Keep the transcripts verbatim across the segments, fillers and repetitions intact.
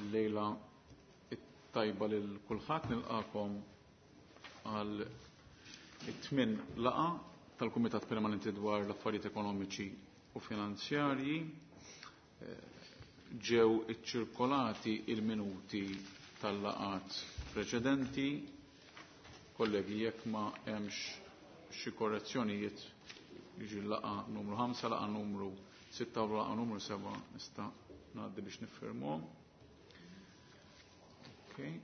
Il-lejla it-tajba lil kulħadd nilqakom għal it-tmien laqgħa tal-Kumitat Permanenti dwar l-Affarijiet Ekonomiċi u Finanzjarji. Ġew iċċirkolati il-minuti tal-laqgħat preċedenti. Kollegi, jekk ma hemmx xi korrezzjonijiet, jiġi l-laqgħa numru ħamsa, laqgħa numru sitta u laqgħa numru seba' nista' ngħaddi biex niffirmuhom. Okay.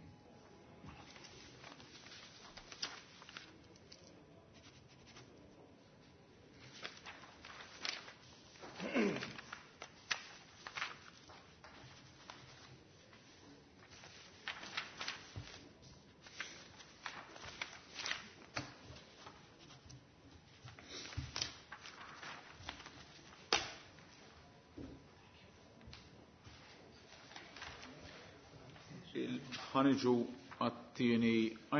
Ħaniġu għat-tieni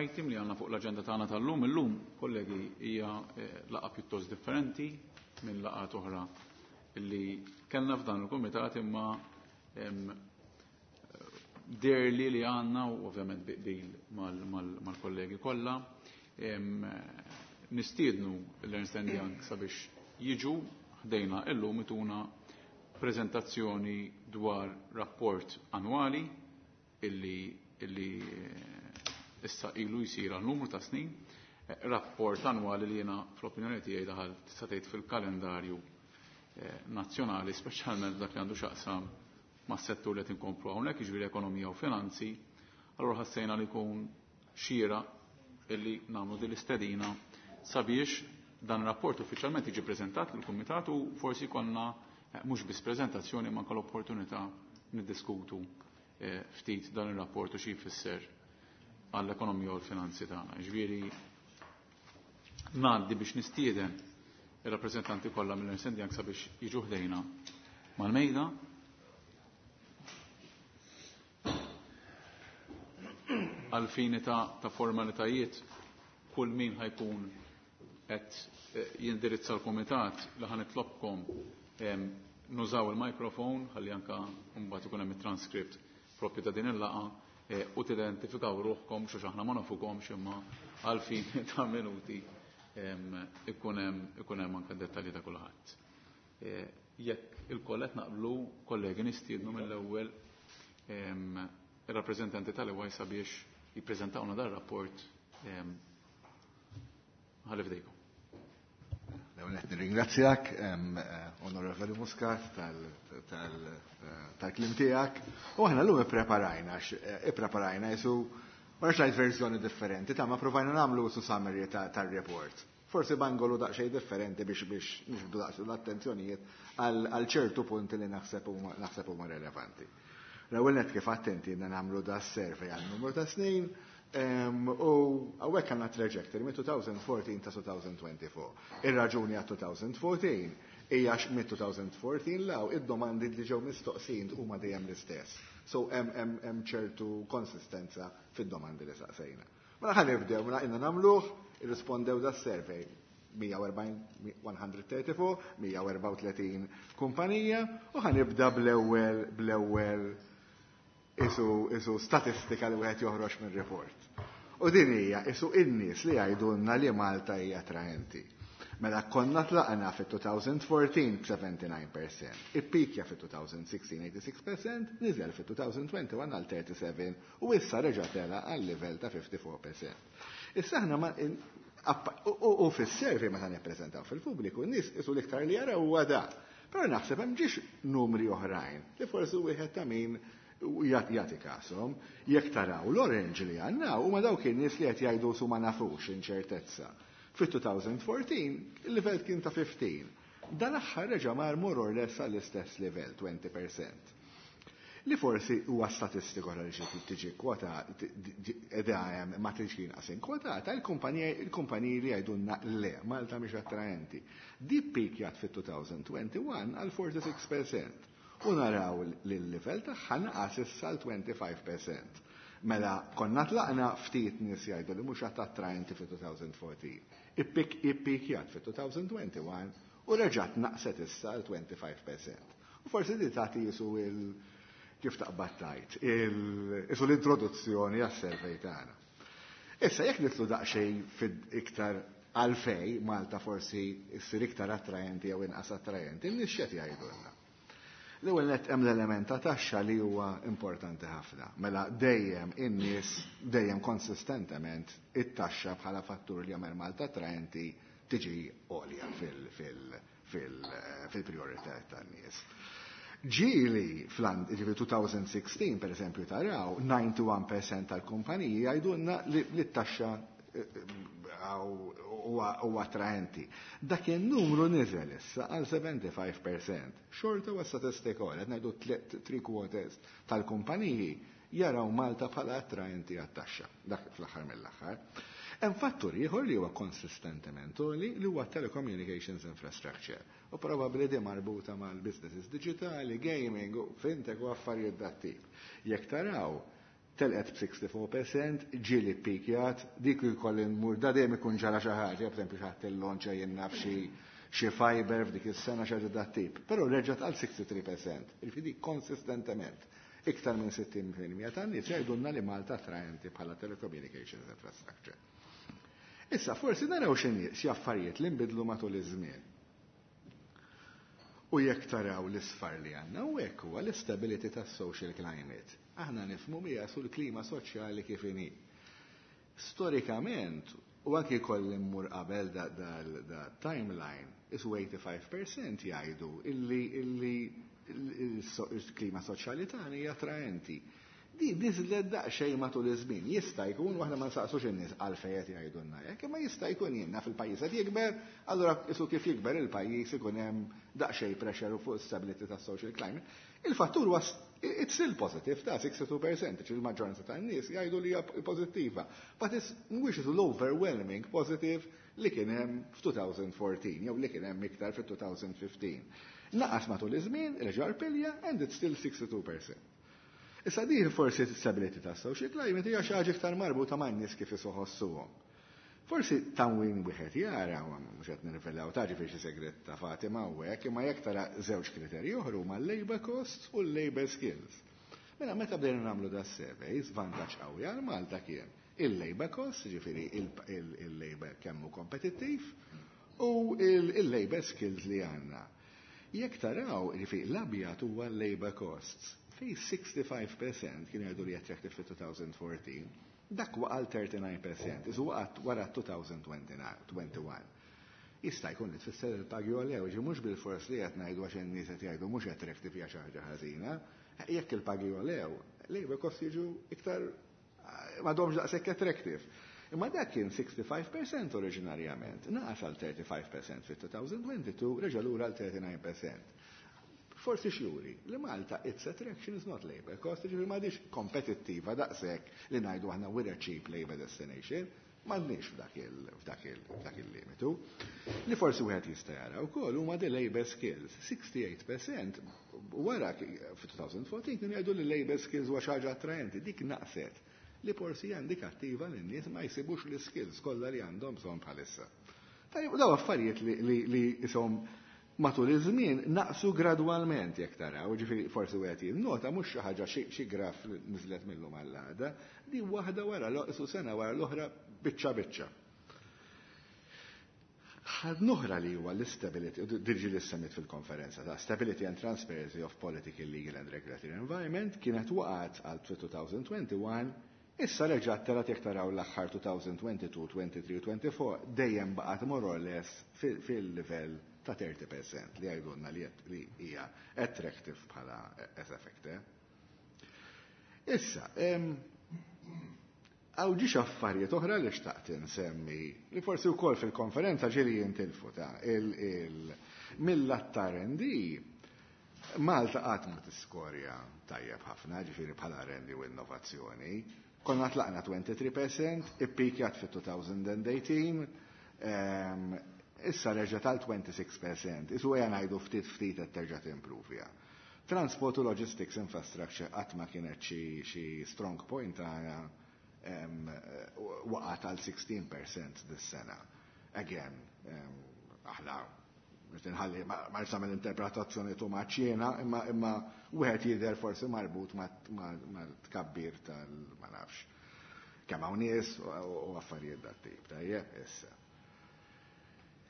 item li għandna fuq l-aġenda tagħna tal-lum. Illum, kollegi, hija laqgħa pjuttost differenti minn laqgħat oħra li kellna f'dan il-kumitat, imma derli li għandna, u ovvjament biqbil mal-kollegi kollha, nistiednu l-Ernst and Young sabiex jiġu ħdejna illum ituna prezentazzjoni dwar rapport annwali illi illi issa ilu jsir għal numru ta' snin, rapport annwali li jiena fl-opinjoni tiegħi daħal tista' tgħid fil-kalendarju nazzjonali, speċjalment dak li għandu x'aqsam mas-settur li qed inkomplu hawnhekk, jiġifieri ekonomija u finanzi. Allura ħassejna li jkun xira illi nagħmlu din l-istedina sabiex dan ir-rapport uffiċjalment jiġi preżentat lill-kumitat u forsi jkollna mhux biss preżentazzjoni ma anke l-opportunità niddiskutu ftit dan ir-rapport u xi jfisser għall-ekonomija u l-finanzi tagħna. Ġifieri ngħaddi biex nistieden ir-rappreżentanti kollha mill-Ernst and Young sabiex jiġu ħdejna mal-mejda. Għal fini ta', ta' formalitajiet, kull min ħajkun qed jindirizza l-kumitat li ħanitlobkom nużaw il-mikrofon ħalli anka mbagħad ikun hemm it-transkript propju ta' din il-laqgħa u tidentifikaw ruħkom xi aħna ma nafukomx, imma għal fini ta' minuti ikun hemm ikun hemm anke dettalji ta' kulħadd. Jekk il-koll qed naqblu, kollegi, nistiednu mill-ewwel ir-rappreżentanti tal-E Y sabiex jippreżentawna dan rapport. Ħalli f'dejkom. L-ewwel qed nirringrazzjak, Onorevoli Muscat, tal-kliem tiegħek. U aħna llum ippreparajna, ippreparajna jisu ma rridx ngħid verżjoni differenti, ta' ma provajna nagħmlu su summary tar-report. Forsi b'angolu daqsxejn differenti biex biex nixbdu daqs l-attenzjonijiet għal ċertu punti li naħseb naħseb huma relevanti. L-ewwel nett, kif attenti nagħmlu da survey għal numru ta' snin, u hawnhekk għandna trajectory minn elfejn u erbatax ta' elfejn u erbgħa u għoxrin. Ir-raġuni għal elfejn u erbatax hija minn elfejn u erbatax law id-domandi li ġew mistoqsin huma dejjem l-istess. So hemm hemm ċertu konsistenza fid-domandi li saqsejna. Mela ħa nibdew, mela inna nagħmluh, irrispondew da survey mija u erbgħin, mija u tlieta u erbgħin, mija u erbgħa u tletin kumpanija, u ħa nibda bl-ewwel bl-ewwel isu isu statistika li wieħed joħroġ minn report. U din hija isu in-nies li jgħidulna li Malta hija attraenti. Mela konna tlaqna fit-elfejn u erbatax b'sebgħa u sebgħin fil-mija, ippikja fit-elfejn u sittax tmien u sebgħin fil-mija, niżel fit-elfejn u wieħed u għoxrin għal tlieta u sebgħin u issa reġa' tela għal livell ta' ħamsa u erbgħin fil-mija. Issa aħna ma u fis-survey meta nippreżentaw fil-pubbliku, n-nies isu l-iktar li jaraw huwa da. Però naħseb hemm ġiex numri oħrajn li forsi wieħed ta' min jagħti kasom. Jekk taraw l-orange li għandna huma dawk in-nies li qed jgħidu su ma nafux, inċertezza. Fit-elfejn u erbatax il-livell kien ta' ħmistax. Dan aħħar reġa' mar more or less għall-istess livell, għoxrin fil-mija. Li forsi huwa statistika li xi tiġi kwota edha hemm ma tiġi inqas inkwotata, il-kumpaniji li jgħidulna le, Malta mhix attraenti. Di pikjat fit-elfejn u wieħed u għoxrin għal sitta u erbgħin fil-mija. U naraw li l-livell tagħha naqas issa l ħamsa u għoxrin fil-mija. Mela konna tlaqna ftit nies jgħidu li mhux attraenti fit-elfejn u erbatax. Ippikjat fit-elfejn u wieħed u għoxrin u reġgħet naqset issa l ħamsa u għoxrin fil-mija. U forsi di tagħti jisu il kif taqbad tgħid, isu l-introduzzjoni għas-survey tagħna. Issa jekk nidħlu daqsxejn iktar għalfejn Malta forsi issir iktar attrajenti jew inqas attrajenti, in-nies x'qed jgħidulna? L-ewwel nett hemm l-element ta' taxxa li huwa importanti ħafna. Mela dejjem in-nies dejjem konsistentement it-taxxa bħala fattur li jagħmel Malta attrajenti tiġi għolja fil-priorità tan-nies. Ġieli fl-ġifieri elfejn u sittax, per eżempju, taraw disgħa u disgħin fil-mija tal-kumpaniji jgħidulna li t-taxxa huwa attraenti. Dak il-numru niżel issa għal sebgħa u ħamsin fil-mija. Xorta huwa statistika, qed ngħidu three quarters tal-kumpaniji jaraw Malta bħala attraenti għat-taxxa. Dak fl-aħħar mill-aħħar. Hemm fattur ieħor li huwa konsistentement li li huwa telecommunications infrastructure. U probabbli di marbuta mal-businesses digitali, gaming, u fintech u affarijiet dat-tip. Jekk taraw, telqet b'sitta u sittin fil-mija, ġieli pikjat, dik jkolli nmur, da dejjem ikun ġara xi ħaġa, pereżempju xi ħadd illonċa jien naf xi xi fiber f'dik is-sena, xi ħaġa dat-tip. Però reġgħet għal sitta u sittin fil-mija. Jiġifieri konsistentement iktar minn sittin fil-mija tan-nies jgħidulna li Malta attraenti bħala telecommunications infrastructure. Issa, forsi naraw xi affarijiet li nbidlu matul iż-żmien. U jekk taraw l-isfar li għandna, u hekk huwa l-istability tas-social climate. Aħna nifhmu bija su l-klima soċjali kif inhi. Storikament, u anki kolli mmur qabel da, da, da timeline, isu tmienja u ħamsin fil-mija jgħidu illi illi il-klima soċjali tagħna hija attraenti. Di niżlet daqsxejn matul iż-żmien. Jista' jkun, waħna ma nsaqsux in-nies għalfejn qed jgħidulna hekk, imma jista' jkun, jiena fil-pajjiż qed jikber, allura isu kif jikber il-pajjiż ikun hemm daqsxejn pressure fuq stability tas-social climate. Il-fattur was it's still positive ta' sitta u sittin fil-mija, il-maġġoranza tan-nies jgħidu li hija pożittiva. But it's mhuwiex l-overwhelming positive li kien hemm f'elfejn u erbatax jew li kien hemm iktar fit-elfejn u ħmistax. Naqas matul iż-żmien, reġa' rpilja, and it's still sixty-two percent. Issa din forsi stability ta' social climate hija xi ħaġa iktar marbuta man-nies kif iħossuhom. Forsi tamwin wieħed jara, mhux qed nirvelaw ta' ġifieri xi segret ta' Fatima u hekk, imma jekk tara żewġ kriterji oħra huma l-labor costs u l-labor skills. Mela meta bdejna nagħmlu da surveys, vantaġġ qawwi għal Malta kien il-labor costs, ġifieri il-labor kemm hu kompetittiv, u il-labor skills li għandna. Jekk taraw, ġifieri l-abjad huwa l-labor costs, fej ħamsa u sittin fil-mija kien jgħidu li attractive fit-elfejn u erbatax, dak waqal disgħa u tletin fil-mija, isu waqgħet wara elfejn u wieħed u għoxrin. Jista' jkun li tfisser il-pagi għolew, ġi mhux bil-fors li qed ngħidu għax in-nies qed jgħidu mhux attractive hija xi ħaġa ħażina. Jekk il-pagi għolew, labor cost jiġu iktar m'għadhomx daqshekk attractive. Imma dak kien ħamsa u sittin fil-mija oriġinarjament, naqas għal tletin fil-mija fit-elfejn u tnejn u għoxrin, reġa' lura għal disgħa u tletin fil-mija. Forsi x'juri li Malta its attraction is not labor cost, ġifieri m'għadix kompetittiva daqshekk li ngħidu aħna we're a cheap labor destination, m'għandniex f'dak il-limitu. Li forsi wieħed jista' jara wkoll huma the labor skills. sitta u sittin fil-mija wara fi elfejn u erbatax kienu jgħidu li labor skills huwa xi ħaġa attraenti, dik naqset li forsi hija indikattiva li n-nies ma jsibux l-skills kollha li għandhom bżonn bħalissa. Tajjeb, daw affarijiet li li isom matul iż-żmien naqsu gradwalment jekk taraw, ġifieri forsi wieħed jinnota mhux xi ħaġa xi graf li niżlet mil-lum għall-għada, di waħda wara l sena wara l-oħra, biċċa biċċa. Ħaġa oħra li huwa l-stability, diġi li semmit fil-konferenza ta' Stability and Transparency of Political, Legal and Regulatory Environment, kienet waqgħet għal elfejn u wieħed u għoxrin, issa reġgħet telgħet. Jekk taraw l-aħħar elfejn u tnejn u għoxrin, tlieta u għoxrin, tlieta u għoxrin, dejjem baqgħet more or less fil-livell ta' tletin fil-mija li għajdunna li hija attractive bħala as effect. Issa, hawn ġiex affarijiet oħra li xtaqt insemmi, li forsi wkoll fil-konferenza ġieli jintilfu ta' mill-lat R and D. Malta qatt ma tiskorja tajjeb ħafna, ġifieri bħala R and D u innovazzjoni. Konna tlaqna tlieta u għoxrin fil-mija, ippikjat fit-elfejn u tmintax, issa reġa tal-sitta u għoxrin fil-mija, isu għja ngħidu ftit ftit qed terġa' timprovja. Transport u logistics infrastructure qatt ma kienet xi strong point tagħna, waqgħet għal sittax fil-mija dis-sena. Again, aħna Nħalli ma rridx nagħmel interpretazzjoni too much jiena, imma imma wieħed jidher forsi marbut mat-tkabbir tal ma nafx kemm hawn nies u affarijiet dat-tip. Tajjeb, issa.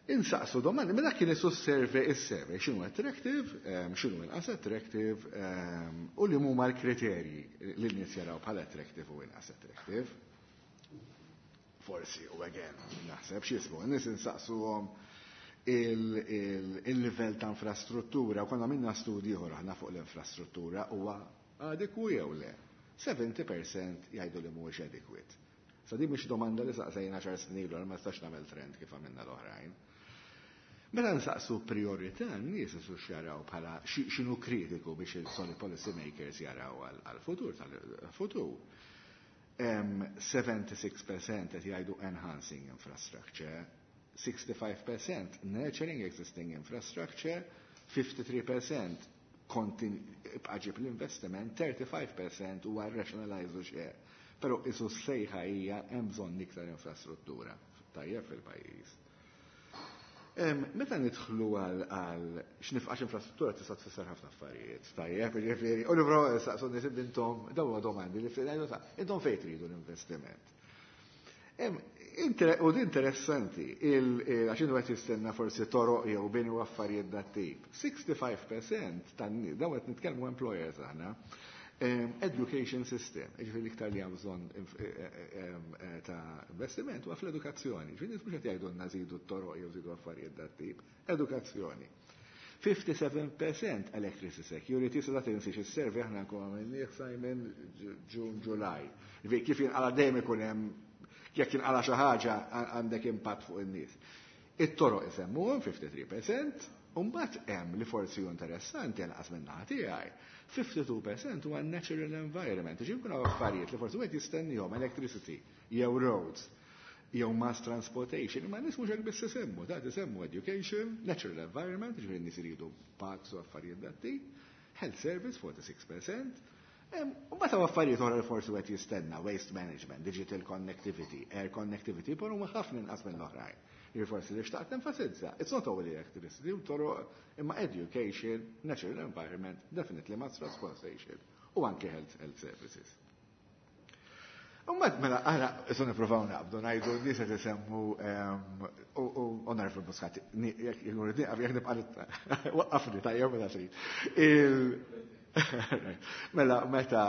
Insaqsu domandi, mela kien isu survey is-survey, x'inhu attractive, x'inhu inqas attractive, u li huma l-kriterji li n-nies jaraw bħala attractive u inqas attractive. Forsi, u again, naħseb x'jismu, n-nies insaqsuhom il-livell ta' infrastruttura, u konna minna studji oħra aħna fuq l-infrastruttura, huwa adekwu jew le. sebgħin fil-mija jgħidu li mhuwiex adequate. Sa di mhix domanda li saqsejna għaxar snin ilu, ma nistax nagħmel trend kif għamilna l-oħrajn. Mela nsaqsu priorità, n-nies isu xjaraw bħala x'inhu kritiku biex il-solid policy makers jaraw għal-futur tal-futur. sebgħa u sebgħin fil-mija qed jgħidu enhancing infrastructure, sittaħames fil-mija nurturing existing infrastructure, tlieta u ħamsin fil-mija ibqa' l-investiment, ħamsa u tletin fil-mija huwa rationalize u share. Però isu sejħa hija hemm bżonn iktar infrastruttura tajjeb fil-pajjiż. Meta nidħlu għal x'nifqax infrastruttura tista' tfisser ħafna affarijiet, tajjeb, jiġifieri, u nipprovaw saqsu nies intom, dawn huma domandi li intom fejn tridu l-investiment. U di interessanti, għax intu qed jistenna forsi toroq jew bini u affarijiet dat-tip. sittaħames fil-mija tan-nies, dawn qed nitkellmu employers aħna, education system, ġifieri l-iktar li hemm bżonn ta' investiment huwa fl-edukazzjoni. Ġifieri mhux qed jgħidulna żidu t-toroq jew żidu affarijiet dat-tip, edukazzjoni. ħamsa u sebgħin fil-mija electricity security, sa tinsiex is-survey aħna nkun għamilnieh, Simon, June, July. Ġifieri kif jinqala dejjem ikun hemm, jekk jinqala xi ħaġa għandek impatt fuq in-nies. It-toroq isemmuhom ħamsa u tletin fil-mija, u mbagħad hemm li forsi hu interessanti għal minn naħa tiegħi. ħamsa u tnejn fil-mija huwa natural environment. Ġifieri jkunu affarijiet li forsi wieħed jistennihom electricity jew roads jew mass transportation, ma nies mhux hekk biss isemmu, da isemmu education, natural environment, ġifieri nies iridu parks u affarijiet dat-tip, health service sittaħames fil-mija, u mbagħad affarijiet oħra li forsi wieħed jistenna, waste management, digital connectivity, air connectivity, però huma ħafna inqas mill-oħrajn. Ġifieri forsi li xtaqt enfasizza, it's not only electricity, u toroq, imma education, natural environment, definitely mass transportation, u anke health, health services. Umbat mela, aħna issa nippruvaw naqbdu ngħidu n-nies qed isemmu u narfu l-Muscat, jekk nibqa' waqqafni tajjeb mela trid. Mela, meta,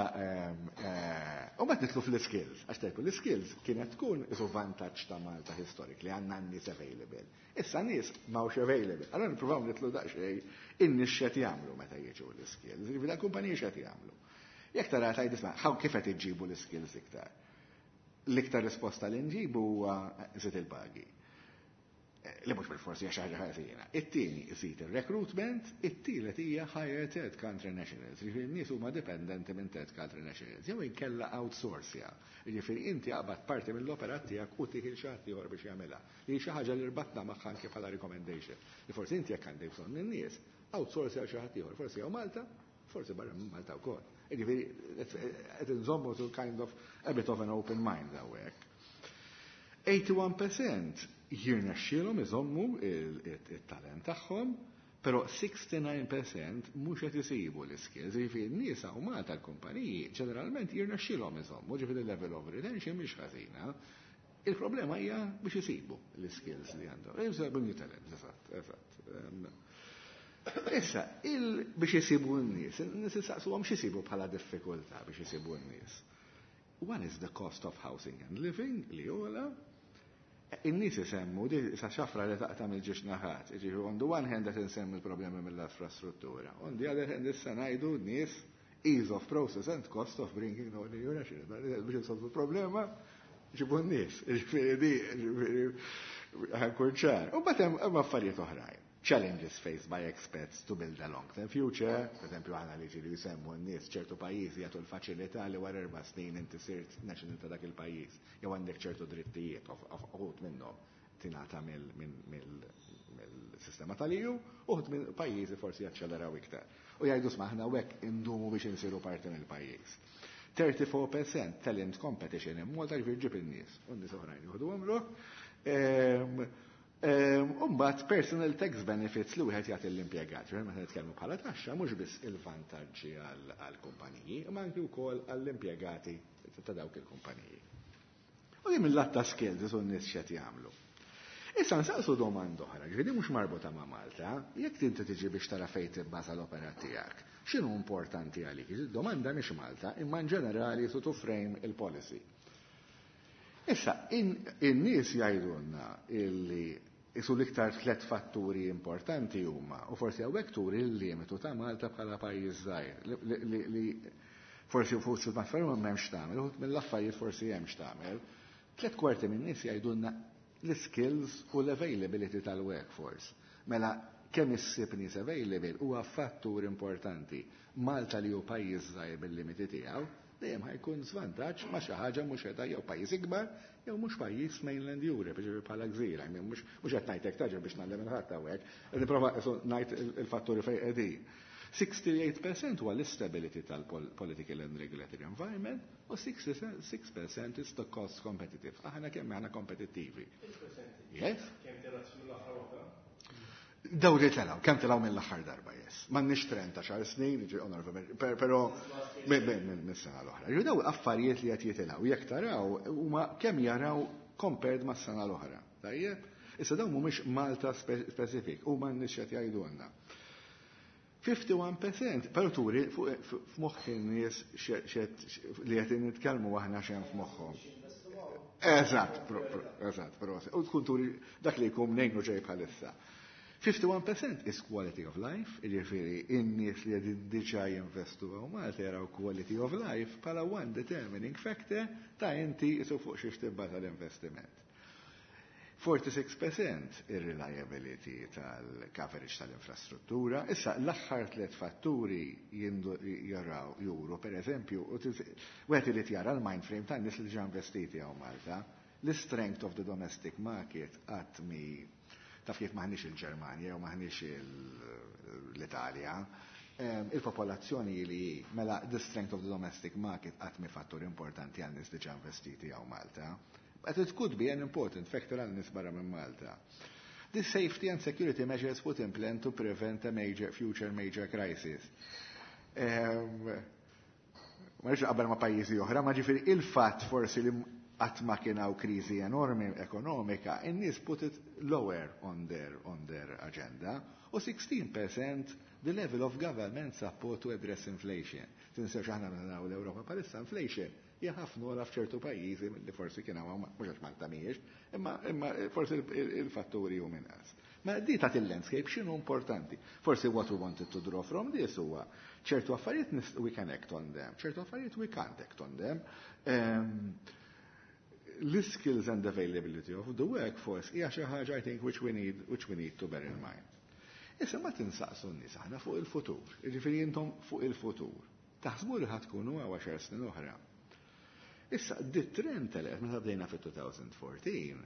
u mbagħad nidħlu fl-skills, għax tajku l-skills kienet tkun isu vantaġġ ta' Malta historic li għandna n-nies available. Issa nies m'hawnx available. Allora nippruvaw nidħlu daqsxejn in-nies x'qed jagħmlu meta jiġu l-skills, jiġifieri l-kumpaniji x'qed jagħmlu. Jekk tara tgħid isma' kif qed iġibu l-skills iktar? L-iktar risposta li nġibu huwa żid il-pagi. Li mhux bil-forsi hija xi ħaġa ħażina. It-tieni żid ir-recruitment, it-tielet hija hire third country nationals. Jiġifieri n-nies huma dipendenti minn third country nationals. Jew inkella outsource. Jiġifieri inti aqbad parti mill-operat tiegħek u tieħi xi ħadd ieħor biex jagħmilha. Li xi ħaġa li rbatna magħha anke bħala recommendation. Li forsi inti jekk għandek bżonn in-nies, outsource għal xi ħadd ieħor, forsi jew Malta, forsi barra minn Malta wkoll. Jiġifieri qed inżommu to kind of a bit of an open mind hawnhekk. wieħed u tmenin fil-mija jirnexxielhom iżommu il-talent tagħhom, però sittaħames u sittin fil-mija mhux qed isibu l-skills. Jiġifieri n-nies hawn Malta l-kumpaniji ġeneralment jirnexxielhom iżommu, ġifieri level of retention mhix ħażina. Il-problema hija biex isibu l-skills li għandhom. Isibu new talent, eżatt, eżatt. Issa, biex isibu n-nies, n-nies isaqsuhom x'isibu bħala diffikultà biex isibu n-nies. One is the cost of housing and living, li jola. In-nies isemmu, di sa xafra li taqta' mill-żewġ naħat. Ġifieri on the one hand qed insemmi l-problemi mill-infrastruttura. On the other hand issa ngħidu n-nies ease of process and cost of bringing no new national. Biex insolvu problema, ġibu n-nies. Ġifieri di, ġifieri ħa nkun ċar. U mbagħad hemm affarijiet oħrajn. Challenges faced by expats to build a long-term future, per esempio għana li ġiri jisemmu n-nies ċertu pajjiżi jagħtu l-faċilità li wara erba' snin inti sirt national ta' dak il-pajjiż, jew għandek ċertu drittijiet, uħud minnhom tingħata mill-sistema tal-E U, uħud minn pajjiżi forsi jaċċeleraw iktar. U jgħidu smaħna hekk indumu biex insiru parti mill-pajjiż. tletin fil-mija talent competition in Malta, ġifieri ġib in-nies, u n-nies oħrajn jieħdu għamlu. Umbat personal tax benefits li wieħed jagħti l-impjegat. Meta nitkellmu bħala taxxa mhux biss il-vantaġġi għall-kumpaniji, imma anki wkoll għall-impjegati ta' dawk il-kumpaniji. U din mill-lat ta' skills isu n-nies x'qed jagħmlu. Issa nsaqsu domanda oħra, ġifieri mhux marbuta ma' Malta, jekk inti tiġi biex tara fejn tibbaża l-opera tiegħek, x'inhu importanti għalik? Domanda mhix Malta, imma in ġenerali su to frame il-policy. Issa, in-nies jgħidulna illi isu l-iktar tlet fatturi importanti huma, u forsi hawnhekk turi l-limitu ta' Malta bħala pajjiż żgħir, li forsi fuq xi affarijiet m'hemmx tagħmel, uħud mill-affarijiet forsi hemm x'tagħmel. Tlet kwarti minn nies jgħidulna l-skills u l-availability tal-workforce. Mela, kemm issib nies available huwa fattur importanti. Malta li hu pajjiż żgħir bil-limiti tiegħu, dejjem ħa jkun żvantaġġ ma' xi ħaġa mhux qiegħda jew pajjiż ikbar jew mhux pajjiż mainland Europe, ġifieri bħala gżira, mhux mhux qed ngħidlek taġel biex ngħallem il-ħadd hawnhekk, qed nipprova ngħid il-fatturi fejn qegħdin. sittantaotto fil-mija huwa l-istability tal-political and regulatory environment u sitta u sittin fil-mija is the cost competitive. Aħna kemm aħna kompetittivi. Yes? Kemm telgħet mill-aħħar waħda? Daw li telgħu, kemm telgħu mill-aħħar darba, yes. M'għandniex trend ta' xar snin, però minn sena l-oħra. Ġu daw affarijiet li qed jitilgħu, jekk taraw huma kemm jaraw compared mas-sena l-oħra. Tajjeb? Issa dawn mhumiex Malta specific, huma n-nies qed jgħidulna. wieħed u ħamsin fil-mija, però turi f'moħħ in-nies li qed nitkellmu aħna xejn f'moħħhom. Eżatt, eżatt, proset. U tkun turi dak li jkun nejnu ġej bħalissa. wieħed u ħamsin fil-mija is quality of life, jiġifieri in-nies li qegħdin diġà jinvestu hawn Malta jaraw quality of life bħala one determining factor ta' inti isu fuq xiex tibbaża l-investiment. sitta u erbgħin fil-mija ir-reliability tal-coverage tal-infrastruttura. Issa, l-aħħar tliet fatturi jaraw juru, per eżempju, wieħed irid jara l-mind frame tan-nies li ġa investiti hawn Malta, l-strength of the domestic market qatt mi taf kif maħniex il-Ġermanja jew maħniex l-Italja. Il-popolazzjoni li mela the strength of the domestic market qatt mi fattur importanti għal nies diġà investiti hawn Malta. But it could be an important factor għal nies barra minn Malta. The safety and security measures put in plan to prevent a major, future major crisis. Ma rridx qabel ma' pajjiżi oħra, ma ġifieri il-fatt forsi li qatt ma kien hawn kriżi enormi ekonomika, in-nies put it lower on their, on their agenda, u sittax fil-mija the level of government support to address inflation. Tinsewx aħna naraw l-Ewropa bħalissa inflation hija ħafna ogħla f'ċertu pajjiżi li forsi kien hawn mhux għax Malta mhijiex, imma imma forsi il-fatturi hu inqas. Ma di ta' il-landscape x'inhu importanti. Forsi what we wanted to draw from this huwa ċertu affarijiet we can act on them, ċertu affarijiet we can't act on them. Um, l-skills and availability of the workforce hija xi ħaġa, I think, which we need which we need to bear in mind. Issa ma tinsaqsu n-nies aħna fuq il-futur, jiġifieri intom fuq il-futur. Taħsbu li ħa tkunu hawn għaxar snin oħra? Issa, di trend telgħet meta bdejna fit-elfejn u erbatax,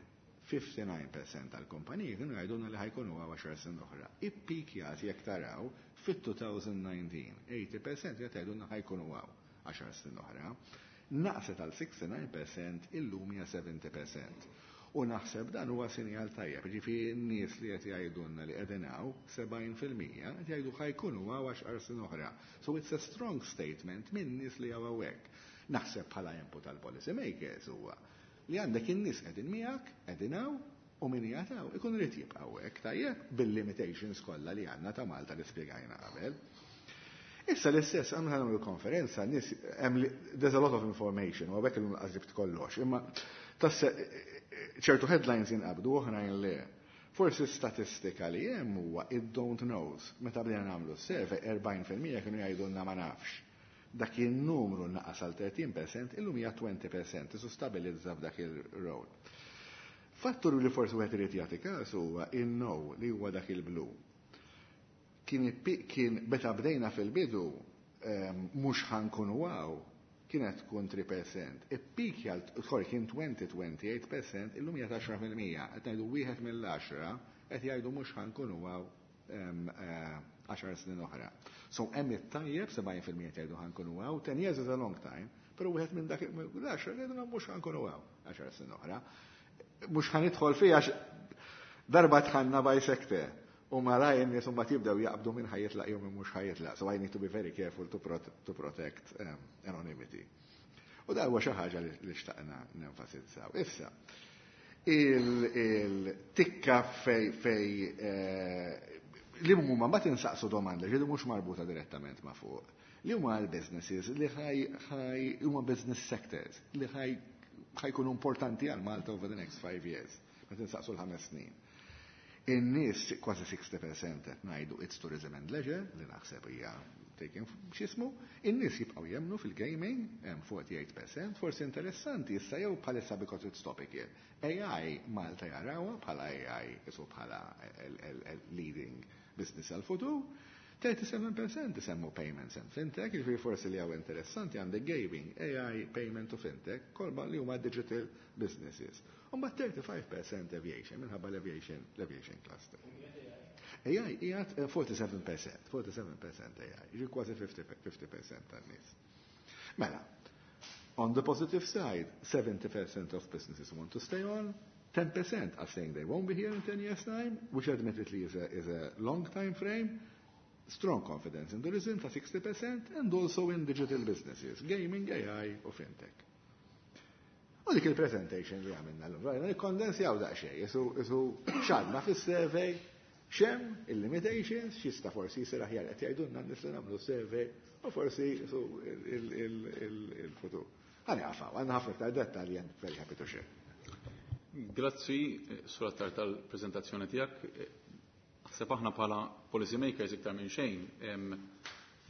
ħamsa u ħamsin fil-mija tal-kumpaniji kienu jgħidulna li ħa jkunu hawn għaxar snin oħra. Ippikjat jekk taraw fit-elfejn u dsatax, tmenin fil-mija qed jgħidulna ħa jkunu hawn għaxar snin oħra. Naqset għal sitta u sittin fil-mija, illum hija sebgħin fil-mija. U naħseb dan huwa sinjal tajjeb, ġifieri n-nies li qed jgħidulna li qegħdin hawn sebgħin fil-mija qed jgħidu ħa jkunu hawn għaxar snin oħra. So it's a strong statement minn nies li hawn hawnhekk. Naħseb bħala input tal-policy makers huwa li għandek in-nies qegħdin miegħek, qegħdin hawn u min jagħtaw ikun irid jibqa' hawnhekk tajjeb bil-limitations kollha li għandna ta' Malta li spjegajna qabel. Issa l-istess, għamna nagħmlu konferenza, nies, there's a lot of information, u għabek il-għazibt kollox, imma tasse ċertu headlines jinqabdu oħrajn le. Forsi statistika li hemm huwa it don't knows. Meta bdejna nagħmlu survey, erbgħin fil-mija kienu jgħidulna ma nafx. Dak il-numru naqas għal tletin fil-mija, illum hija għoxrin fil-mija, isu stabilizza f'dak il-rol. Fattur li forsi wieħed irid jagħti każ huwa in-no li huwa dak il-blu. Kien kien meta bdejna fil-bidu mhux ħa nkunu hawn kienet tkun tlieta fil-mija. Ippikja, sorry, kien għoxrin, tmenja u għoxrin fil-mija, illum hija għaxra fil-mija. Qed ngħidu wieħed mill-għaxra qed jgħidu mhux ħa nkunu hawn għaxar snin oħra. So hemm it-tajjeb, sebgħin fil-mija jgħidu ħa nkunu hawn, ten years is a long time, però wieħed minn dak l-għaxra jgħidu mhux ħa nkunu hawn għaxar snin oħra. Mhux ħa nidħol fiha. Darba dħalna by sector u malajr in-nies mbagħad jibdew jaqbdu minn ħa jitlaq jew minn mhux ħa jitlaq. So I need to be very careful to, prot to protect um, anonymity. U da huwa xi ħaġa li xtaqna nenfasizzaw. Issa, il-tikka fej fej eh, li huma ma tinsaqsu domanda ġidu mhux marbuta direttament ma' fuq. Li huma l-businesses li ħaj ħaj huma business sectors li ħaj ħajkunu importanti għal Malta over the next five years. Ma tinsaqsu l-ħames snin. In-nies kważi sittin fil-mija qed ngħidu it's tourism and leisure, li naħseb hija taken x'ismu, in-nies jibqgħu jemnu fil-gaming, hemm erbgħa u erbgħin fil-mija, forsi interessanti issa jew bħalissa because it's topical. A I, Malta jarawha bħala A I isu bħala leading business għal-futur. tlieta u sebgħin fil-mija isemmu payments and fintech, jiġifieri forsi li hawn interessanti għandek gaming, A I, payment u fintech, kolba li huma digital businesses. U tlieta u tletin fil-mija aviation, minħabba l-aviation, l-aviation cluster. A I qiegħed erbgħa u sebgħin fil-mija, erbgħa u sebgħin fil-mija A I, jiġi kważi ħamsin fil-mija tan-nies. Mela, on the positive side, seventy percent of businesses want to stay on, ten percent are saying they won't be here in ten years' time, which admittedly is a, is a long time frame. Strong confidence in tourism ta' sixty percent and also in digital businesses, gaming, A I u fintech. U dik il-presentation li għamilna l-lum, rajna nikkondensjaw daqsxejn, jisu jisu x'għadna fis-survey, x'hemm il-limitations, x'jista' forsi jisir aħjar qed jgħidulna n-nies li nagħmlu survey u forsi jisu il-futur. Ħa nieqaf hawn, għandna ħafna iktar dettalji and very happy to share. Grazzi, Sur Attard, tal-prezentazzjoni tiegħek. Naħseb aħna bħala policy makers iktar minn xejn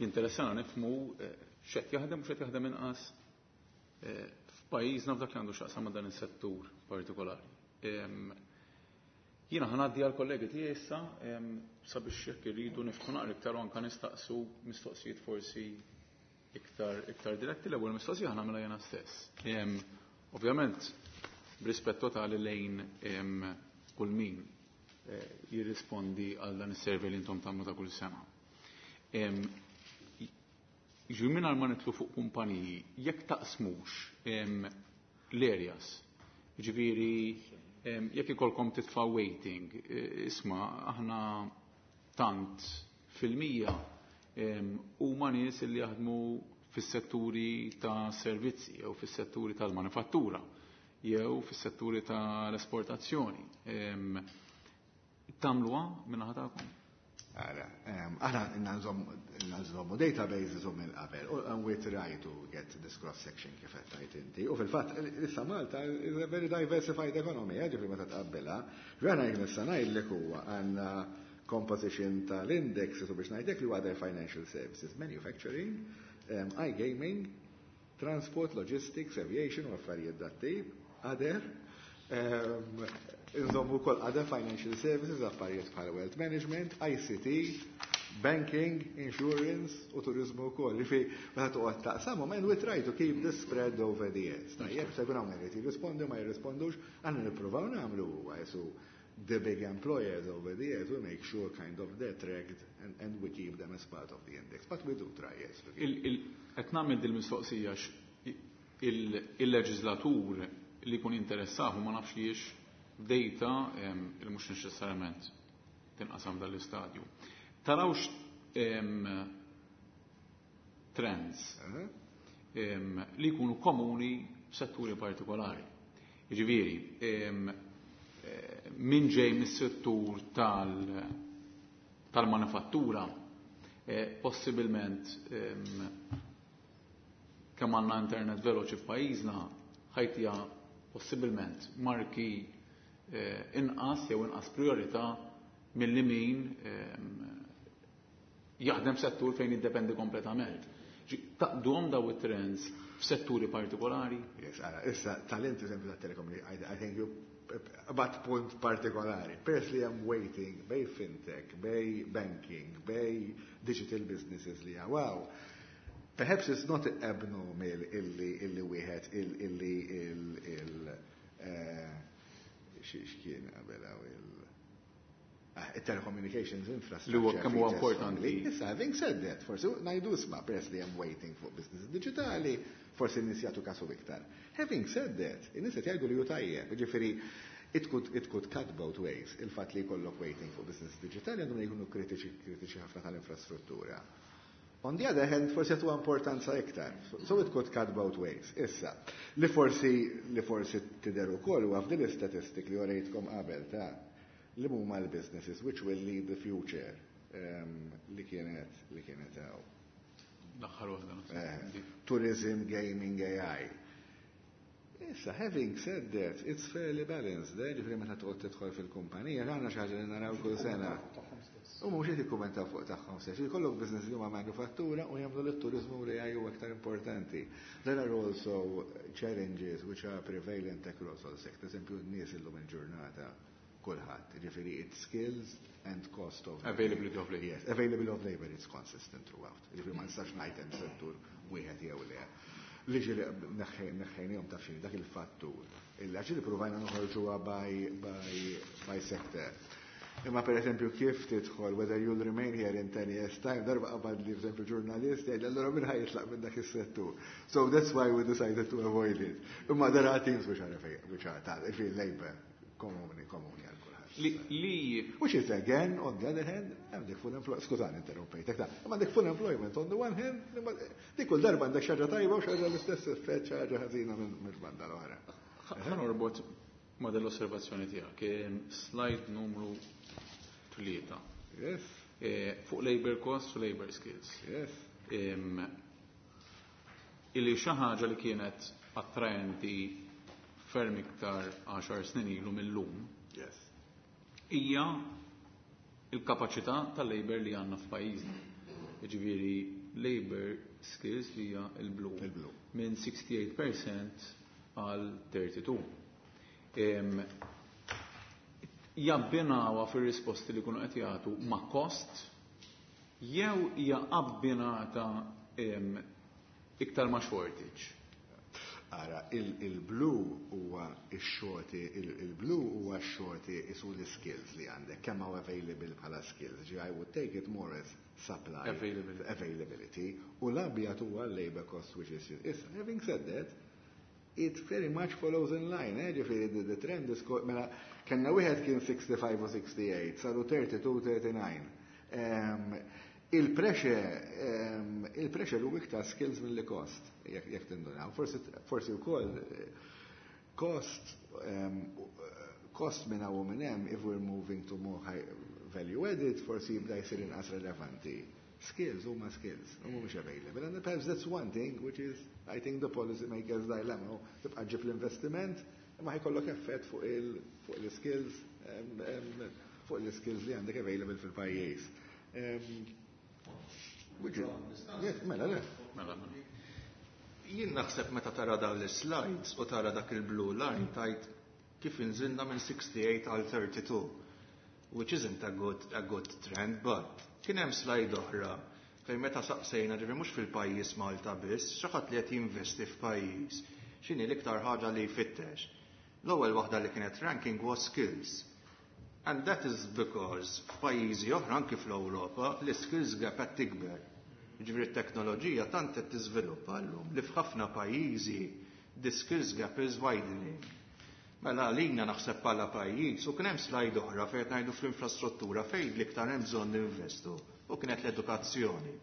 jinteressana nifhmu x'qed jaħdem u x'qed jaħdem inqas f'pajjiżna f'dak li għandu x'jaqsam ma' dan is-settur partikolari. Jiena ħa ngħaddi għal kollegi tiegħi issa sabiex jekk irridu niftħu naqra iktar u anke nistaqsu mistoqsijiet forsi iktar iktar diretti. L-ewwel mistoqsija ħa nagħmilha jiena stess. Ovvjament, b'rispett totali lejn kull min jirrispondi għal dan is-survey li intom tagħmlu ta' kull sena. Ġu minn ma nidħlu fuq kumpaniji, jekk taqsmux l-areas, ġifieri jekk ikolkom titfa' weighting, isma' aħna tant fil-mija huma nies li jaħdmu fis-setturi ta' servizzi jew fis-setturi tal-manifattura jew fis-setturi tal-esportazzjoni. Tagħmluha min-naħa tagħkom? Ara, aħna nżommu databases u minn qabel, and we try to get this cross-section kif qed tgħid inti. U fil-fatt, issa Malta is a very diversified economy, ġifieri meta tqabbilha. Rana jekk nista' ngħidlek huwa għandna composition tal-index u biex ngħidlek li huwa financial services, manufacturing, um, iGaming, transport, logistics, aviation u affarijiet dat-tip, other, um, Inżommu kol other financial services, affarijiet bħal wealth management, I C T, banking, insurance u turizmu wkoll. Ġifi, meta toqgħod taqsamhom, and we try to keep this spread over the years. Tajjeb, se jkun hawn irid jirrispondi, ma jirrispondux, għandna nippruvaw nagħmlu huwa jesu the big employers over the years, we make sure kind of they're tracked and, and we keep them as part of the index. But we do try, yes. Qed nagħmel dil-mistoqsija il-leġislatur li jkun interessahu ma nafx liex data il mhux neċessarjament tinqasam dal-istadju. Tarawx trends li jkunu komuni f'setturi partikolari? Jiġifieri, min ġej mis-settur tal-manifattura, possibilment kemm għandna internet veloċi f'pajjiżna ħa jtiha possibilment marki inqas jew inqas priorità milli min jaħdem settur fejn jiddependi kompletament. Taqduhom daw it-trends f'setturi partikolari? Yes, ara, issa talent eżempju ta' telekom, I, I think you bat punt partikolari. Peress li hemm weighting bejn fintech, bejn banking, bejn digital businesses li wow. Perhaps it's not abnormal illi illi wieħed illi il il x'kien qabel il telecommunications infrastructure. Li huwa kemm huwa importanti. Issa, having said that, forsi ngħidu isma' peress li hemm weighting fuq business digitali, forsi n-nies jagħtu kasu iktar. Having said that, in-nies qed jgħidu li hu tajjeb, jiġifieri It could, it could cut both ways. Il-fatt li jkollok waiting fuq business digitali għandhom jkunu kritiċi kritiċi ħafna tal-infrastruttura. On the other hand, forsi għatu importanza iktar. So it could cut both ways. Issa, li forsi li forsi tidher ukoll huwa f'din l-istatistik li urejtkom qabel ta' li huma l-businesses which will lead the future um, li kienet li kienet hawn. L-aħħar waħda. Eh, tourism, gaming, A I. Issa, having said that, it's fairly balanced, eh? Ġifieri meta toqgħod tidħol fil-kumpanija, għandna xi ħaġa li naraw kull sena. U mhux qed jikkummentaw fuq tagħhom stess. Jkollok business li huma manifattura u jagħmlu lit-turiżmu li huwa aktar importanti. There are also challenges which are prevalent across all sectors. Eżempju, n-nies illum il-ġurnata kulħadd. Ġifieri it's skills and cost of Availability of labor. Yes, availability of labor is consistent throughout. Ġifieri ma nistax ngħid hemm settur wieħed jew le. Li ġieli neħħejnihom taf xini dak il-fattur. Illa ġieli provajna noħorġuha by, by, by sector. Imma per eżempju kif tidħol whether you'll remain here in ten years' time, darba qabad li per eżempju ġurnalist jgħid allura min ħa jitlaq minn dak is-settur. So that's why we decided to avoid it. Imma there are things which are which are tal, labor komuni komuni għal kulħadd. Li, li Which is again, on the other hand, għandek full employment, skużani interrompejtek, ta' imma għandek full employment on the one hand, imma dik kull darba għandek xi ħaġa tajba u xi ħaġa l-istess effett xi ħaġa ħażina minn mill-banda l-oħra. Ħa norbot ma' dell-osservazzjoni tiegħek. Em, Slide numru tlieta. Yes, Eh, Fuq labor costs u labor skills. yes. Em, Illi xi ħaġa li kienet attraenti ferm iktar għaxar snin ilu mill-lum Yes. hija il-kapaċità tal-labor li għandna f'pajjiżna. Jiġifieri labor skills li hija il-blu. Il-blu. Minn sitta u sittin fil-mija għal tnejn u tletin. Em, Jabbinawha fir-risposti li kunu qed jagħtu ma' cost jew hija abbinata em, iktar ma' shortage? Ara, il-blu huwa x-shorti, il-blu huwa x-shorti isu l-skills li għandek, kemm hawn available bħala skills. Ġi I would take it more as supply. Availability. Availability. U l-abjad huwa labor cost, which is, issa, having said that, it very much follows in line, eh? Ġifieri, the, the trend is, co- mela, kellna wieħed kien sixty-five u sixty-eight, saru thirty-two, thirty-nine. Um, il-pressure, um, il-pressure hu iktar skills mill cost, jekk jekk tindunaw. Forsi, forsi wkoll eh, cost, um, cost minn hawn u minn hemm, if we're moving to more high value added, forsi jibda jsir inqas relevanti. Skills huma skills, u mhumiex available. And perhaps that's one thing which is, I think, the policy makers' dilemma. Tibqa' ġib l-investiment, imma ħa jkollok effett fuq il fuq il-skills um, um, fuq il-skills li għandek available fil-pajjiż. Um, which is, yes, mela, le. Mela, mela. Jien naħseb meta tara dawn l-slides u tara dak il-blue line tajt kif inżilna minn sixty-eight għal thirty-two, which isn't a good, a good trend, but kien hemm slide oħra fejn meta saqsejna, ġifieri mhux fil-pajjiż Malta biss, xi ħadd li qed jinvesti f'pajjiż, x'inhi l-iktar ħaġa li jfittex. L-ewwel waħda li kienet ranking was skills. And that is because f'pajjiżi oħra, anki fl-Ewropa, l-skills gap qed tikber. Ġifieri t-teknoloġija tant qed tiżviluppa llum li f'ħafna pajjiżi the skills gap is widening. Mela għalina naħseb bħala pajjiż, u kien hemm slide oħra fejn qed ngħidu fl-infrastruttura fejn l-iktar hemm bżonn ninvestu u kienet l-edukazzjoni.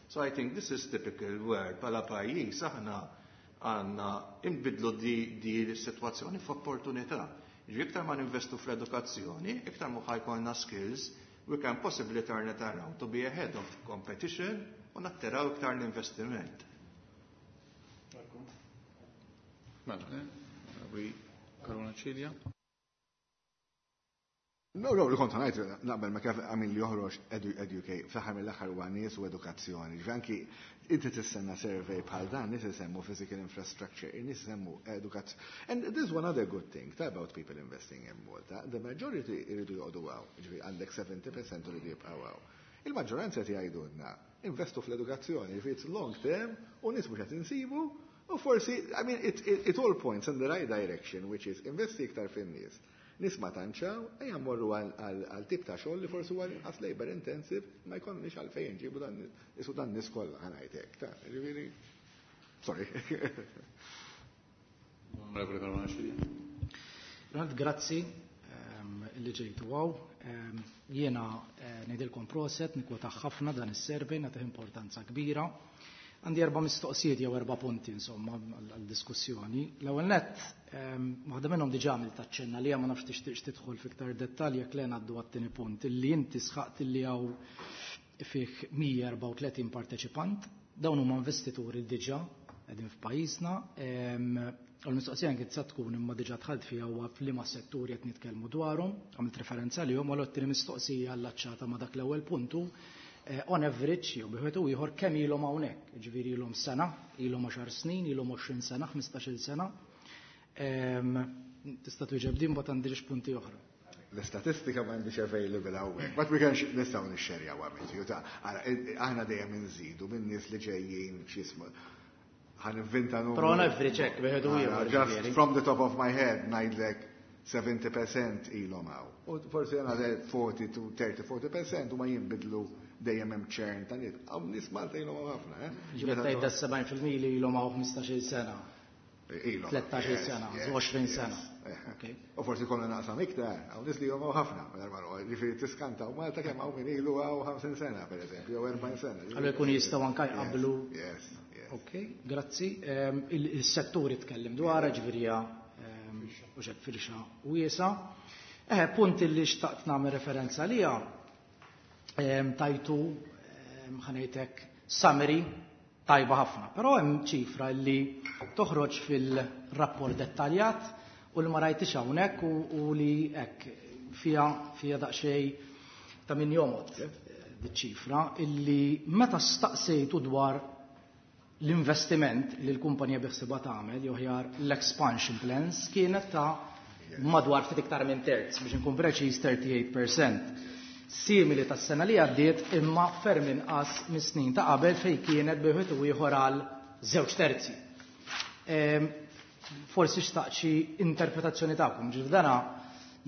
So I think this is typical where bħala pajjiż aħna għandna inbidlu di, di l-sitwazzjoni f'opportunità. Ġifieri iktar ma ninvestu fl-edukazzjoni, iktar ma ħa jkollna skills, we can possibly turn it around to be ahead of competition u nattiraw iktar l-investiment. Mela, eh? We Caruana Cilia. No, no, li kont ngħid naqbel ma kif għamil li joħroġ edu, educate, fl-aħħar mill-aħħar huwa nies u edukazzjoni. Ġifieri anki inti tistenna survey bħal dan, nies isemmu physical infrastructure, nies isemmu edukazzjoni. And there's one other good thing about people investing in Malta. The majority iridu joqogħdu hawn. Ġifieri għandek seventy percent iridu jibqgħu hawn. Il-maġġoranza qed jgħidulna investu fl-edukazzjoni, ġifieri it's long term u nies mhux qed insibu u forsi, I mean, it, it, it all points in the right direction, which is investi iktar fin-nies. Nies ma tantxaw, ejja mmorru għal tip ta' xogħol li forsi huwa inqas labor intensive, ma jkollniex għalfejn ġibu dan isu dan nies kollha, ħa ngħidlek. Ta' ġifieri. Sorry. Onorevole Caruana Cilia. Ronald, grazzi li ġejtu hawn. Jiena ngħidilkom proset, nikkwota ħafna dan is-survey, nagħtih importanza kbira. Għandi erba' mistoqsijiet jew erba' punti insomma għal-diskussjoni. L-ewwel nett, waħda minnhom diġà għamilt taċċenna li ma nafx tixtieqx tidħol fiktar dettalji jekk le ngħaddu għat-tieni punt illi inti sħaqt illi hawn fih mija u erbgħa u tletin parteċipant, dawn huma investituri diġà qegħdin f'pajjiżna. U l-mistoqsija kien sa tkun, imma diġà dħalt fiha, huwa f'liema setturi qed nitkellmu dwarhom, għamilt referenza lihom, u l-tieni mistoqsija allaċċata ma' dak l-ewwel puntu, on average, jew bi wieħed u ieħor, kemm ilhom hawnhekk, ġifieri ilhom sena, ilhom għaxar snin, ilhom għoxrin sena, ħmistax-il sena. Tista' twieġeb din, mbagħad għandi punti oħra. L-istatistika ma għandix available hawnhekk, but we can, nistgħu nixxerjaw għamil. Aħna dejjem inżidu minn nies li ġejjin, x'ismu, ħa ninventa numru. Però on average hekk wieħed u ieħor. Just from the top of my head ngħidlek sebgħin fil-mija ilhom hawn. U forsi another forty to thirty, forty percent u ma jinbidlu, dejjem hemm churn ta' nies. Hawn nies Malta ilhom ħafna, eh? Ġifieri tgħid da sebgħin fil-mija li ilhom hawn ħmistax-il sena. Ilhom. tlettax-il sena, għoxrin sena. U forsi konna naqsam iktar, hawn nies li ilhom ħafna, ġifieri tiskanta u Malta kemm hawn min ilu hawn ħamsin sena, per eżempju, jew erbgħin sena. Allura jkunu jistgħu anke jqablu. Yes, yes. Ok, grazzi. Il-setturi tkellim dwar, ġifieri u xek firxa wiesa. Eh, punt li xtaqt nagħmel referenza lija, tajtu, ħa ngħidlek, summary tajba ħafna, però hemm ċifra li toħroġ fil-rapport dettaljat u li ma rajtix hawnhekk u li hekk fija fija daqsxejn ta' min jomgħod ċifra illi meta staqsejtu dwar l-investiment li l-kumpanija biħsiebha tagħmel, jew aħjar l-expansion plans, kienet ta' madwar ftit iktar minn terz, biex nkun preċiż tlieta u tletin fil-mija. Simili tas-sena li għaddiet, imma ferm inqas mis-snin ta' qabel fejn kienet wieħed u ieħor għal żewġ terzi. Forsi xtaqt xi interpretazzjoni tagħkom, ġifieri dana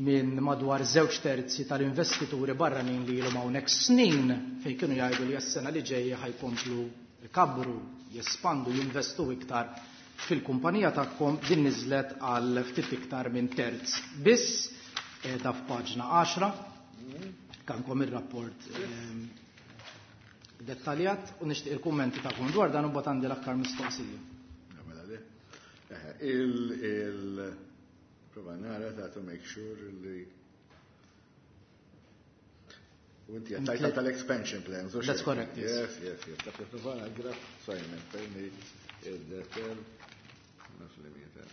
minn madwar żewġ terzi tal-investituri barranin li ilhom hawnhekk snin, fejn kienu jgħidu li s-sena li ġejja ħa jkomplu jkabbru, jespandu, jinvestu iktar fil-kumpanija tagħkom, din niżlet għal ftit iktar minn terz. Biss ta' f'paġna għaxra għandkom ir-rapport dettaljat u nixtieq il-kummenti tagħkom dwar dan u mbagħad għandi l-aktar mistoqsija. Mela le. Il il prova nara ta' to make sure li u inti għattajta tal-expansion plans. That's correct, yes. Yes, yes, yes. Ta' prova nara, Simon, fejn il-detel, naf li mieta.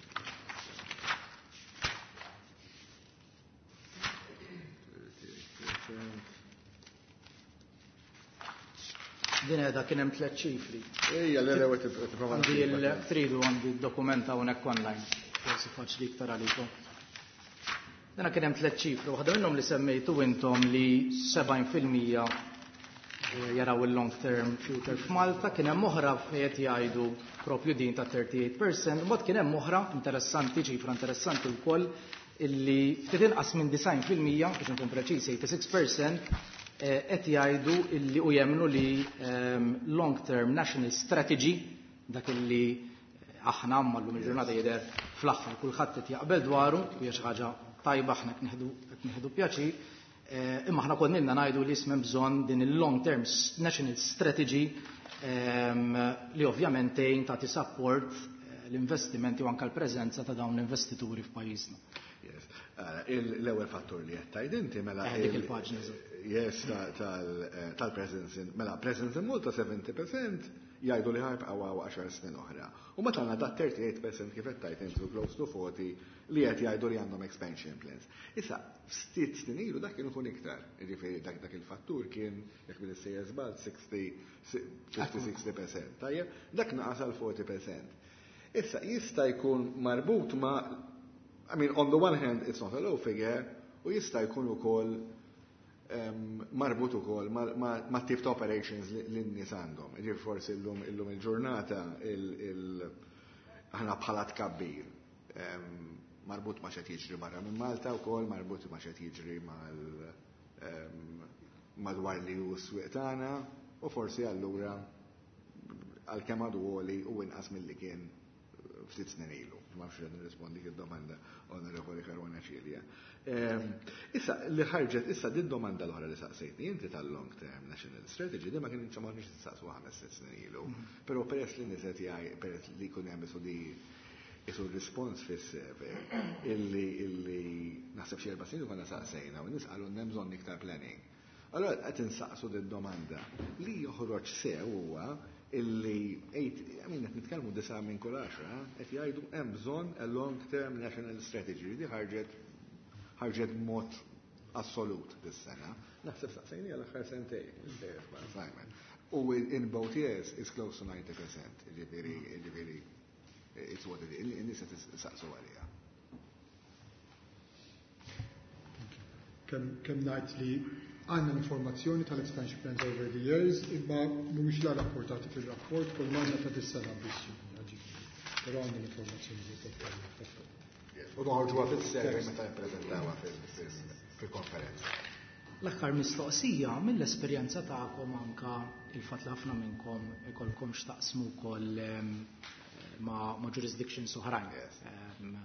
Din edha kien hemm tliet ċifri. Ejja, le, le, tipprova. Għandi il-tridu, għandi d-dokumenta hawnhekk online. Forsi faċli iktar għalikom. Dina kien hemm tliet ċifri, waħda minnhom li semmejtu intom li sebgħin fil-mija jaraw il-long term future f'Malta, kien hemm oħra fejn qed jgħidu propju din ta' tlieta u tletin fil-mija, mbagħad kien hemm oħra interessanti, ċifra interessanti wkoll, illi ftit inqas minn disgħin fil-mija, biex nkun preċiż sittaw u disgħin fil-mija, qed jgħidu illi u jemnu li long term national strategy, dak illi aħna llum il-ġurnata jidher fl-aħħar kulħadd qed jaqbel dwaru, u hija xi ħaġa tajba, aħna qed nieħdu pjaċir, imma aħna konna ngħidu li ismem bżonn din il-long term national strategy li ovvjament tgħin tagħti support l-investimenti u anke l-preżenza ta' dawn l-investituri f'pajjiżna. Yes. L-ewwel fattur li qed tgħid inti mela Dik il-paġna. Yes, tal-presence, mela presence in Malta, sebgħin fil-mija jgħidu li ħa jibqgħu għaxar snin oħra. U meta għandna dat tlieta u tletin fil-mija, kif qed tgħid intu, close to forty li qed jgħidu li għandhom expansion plans. Issa, ftit snin ilu dak kien ikun iktar. Jiġifieri dak dak il-fattur kien, jekk minn sejjer żball, fifty-sixty percent. Tajjeb, dak naqas għal forty percent. Issa jista' jkun marbut ma', I mean, on the one hand, it's not a low figure, u jista' jkun ukoll um, marbut ukoll ma, ma, ma tip ta' operations li n-nies għandhom. Ġifieri forsi illum illum il-ġurnata il, il, aħna bħala tkabbir um, marbut ma' x'qed jiġri barra minn Malta wkoll, marbut ma' x'qed jiġri mal um, madwar li hu s-swieq tagħna, u forsi allura għalkemm għadu għoli u inqas milli kien ftit snin ilu. Ma nafx nirrispondi id-domanda, Onorevoli Caruana Cilia. Issa li ħarġet, issa din domanda l-oħra li saqsejtni inti tal-long term national strategy, di ma kien ma nix saqsu ħames sitt snin ilu. Però peress li niset jgħaj, peress li jkun hemm isu di isu rispons fis-survey illi illi naħseb xi erba' snin konna saqsejna u nies qalu hemm bżonn iktar planning. Allora qed insaqsu din domanda li joħroġ sew huwa illi eight, I mean, qed nitkellmu disa' minn kull għaxra, qed jgħidu hemm bżonn a long term national strategy li ħarġet ħarġet mod assolut dis-sena. Naħseb saqsejni għal aħħar sentejn, Simon. U in both years is close to ninety percent, ġifieri, ġifieri, it's what it is, in-nies qed saqsu għalija. Kemm kemm ngħid li għandna l-informazzjoni tal-expansion plans over the years, imma mhumiex la rapportati fil-rapport, kull m'għandna ta' dis-sena biss. Però għandna l-informazzjoni li totali. U noħorġuha fis-survey meta nippreżentawha fil-konferenza. L-aħħar mistoqsija, mill-esperjenza tagħkom, anka il-fatt li ħafna minnkom ikolkom x'taqsmu wkoll em, ma' ma' jurisdictions oħrajn. Yes. Em,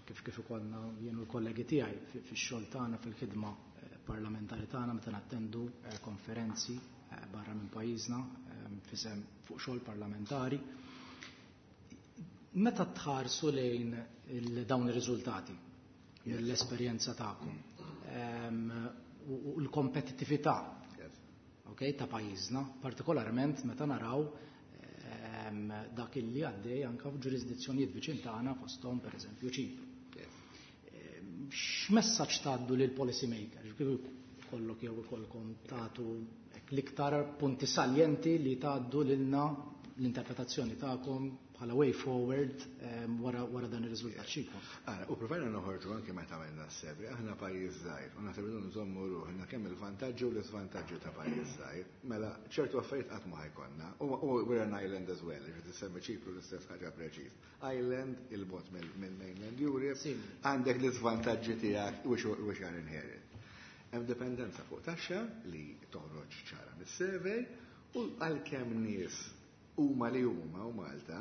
Kif kif ikollna jien u l-kollegi tiegħi fi- fix-xogħol tagħna, fil-ħidma eh, parlamentari tagħna, meta nattendu eh, konferenzi eh, barra minn pajjiżna em, fisem fuq xogħol parlamentari. Meta tħarsu lejn il- dawn ir-riżultati mill-esperjenza tagħkom em, u u l-kompetittività Yes. okay, ta' pajjiżna, partikolarment meta naraw em, dak illi għaddej anka f'ġurisdizzjonijiet viċin tagħna, fosthom pereżempju Ċipru. Yes. X'messaġġ tgħaddu lil policy makers? Kif kollok jew ikolkom tagħtu hekk l-iktar punti saljenti li tgħaddu lilna l-interpretazzjoni tagħkom bħala way forward em, wara wara dan ir-riżultat x'ikun? Ara, u provajna noħorġu anke meta għamilna s-survey, aħna pajjiż żgħir, u naħseb irridu nżommu ruħna kemm il-vantaġġi u l-iżvantaġġi ta' pajjiż żgħir. Mela ċertu affarijiet qatt ma ħa jkollna. U u we're an island as well, ġifieri tissemmi Ċipru l-istess ħaġa preċiż. Island il-bogħod mill-mainland Europe, Simili. għandek l-iżvantaġġi tiegħek which which are inherent. Hemm dipendenza fuq taxxa li toħroġ ċara mis-survey u għalkemm nies huma li huma u Malta,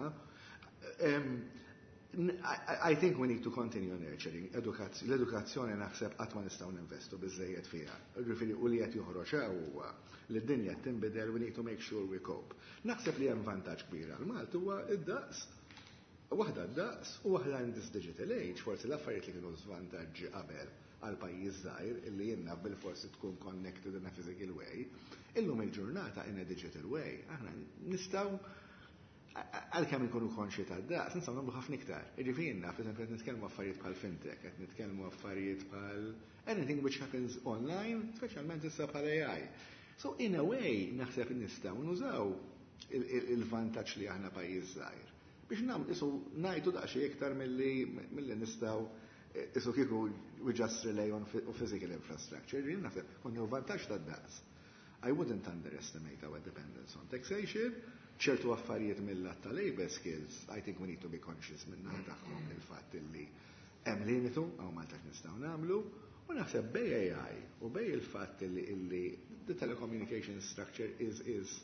um, I, I think we need to continue nurturing edukazz- l-edukazzjoni. Naħseb qatt ma nistgħu ninvestu biżejjed fiha. Ġifieri u li qed joħroġ hawn huwa li d-dinja qed tinbidel, we need to make sure we cope. Naħseb li hemm vantaġġ kbir għal Malta huwa id-daqs. Waħda d-daqs u waħda in this digital age, forsi l-affarijiet li kienu żvantaġġi qabel għal pajjiż żgħir illi jenna bil-forsi tkun connected in a physical way, illum il-ġurnata in a digital way, aħna nistgħu, għalkemm inkunu konxi ta' daqs, nistgħu nagħmlu ħafna iktar. Jiġifieri naf, eżempju, qed nitkellmu affarijiet bħal fintech, qed nitkellmu affarijiet bħal anything which happens online, speċjalment issa bħal A I. So in a way, naħseb nistgħu nużaw il-vantaġġ li aħna pajjiż żgħir biex nam isu ngħidu daqsxejn iktar milli milli nistgħu isu kieku we just rely on physical infrastructure. Jien naħseb konna vantaġġ tad-daqs. I wouldn't underestimate our dependence on taxation. Ċertu affarijiet mill-lat ta' labor skills, I think we need to be conscious minna tagħhom, il-fatt illi hemm limitu għaw Malta nistgħu nagħmlu, u naħseb bejn A I u bejn il-fatt illi illi the telecommunication structure is is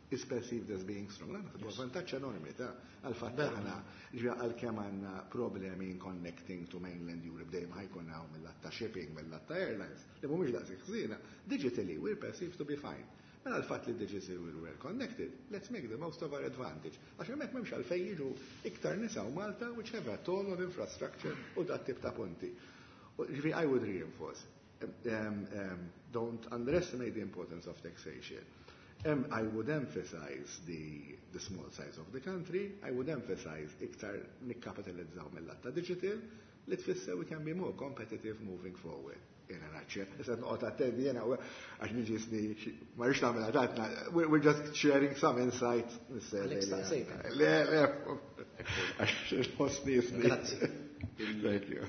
is perceived as being strong. Naħseb huwa vantaġġ enormi ta' għal-fatt aħna ġa għalkemm għandna problemi in connecting to mainland Europe, dejjem ħa jkun hawn mill-lat ta' shipping, mill-lat ta' airlines, li mhumiex daqshekk ħżiena. Digitally we're perceived to be fine. Mela l-fatt li digitally we're well connected, let's make the most of our advantage. Għax hemmhekk m'hemmx għalfejn jiġu iktar nisa u Malta which have a ton of infrastructure u dat tip ta' punti. Ġifieri I would reinforce, um, um, don't underestimate the importance of taxation. Um, I would emphasize the, the small size of the country. I would emphasize iktar nikkapitalizzaw mill-lat ta' digital li tfisser we can be more competitive moving forward. Jena naċċe, issa noqgħod attendi jena għax niġi sni, ma rridx nagħmel għadatna, we're just sharing some insight. Le, le, għax nħossni sni. Grazzi. Thank you.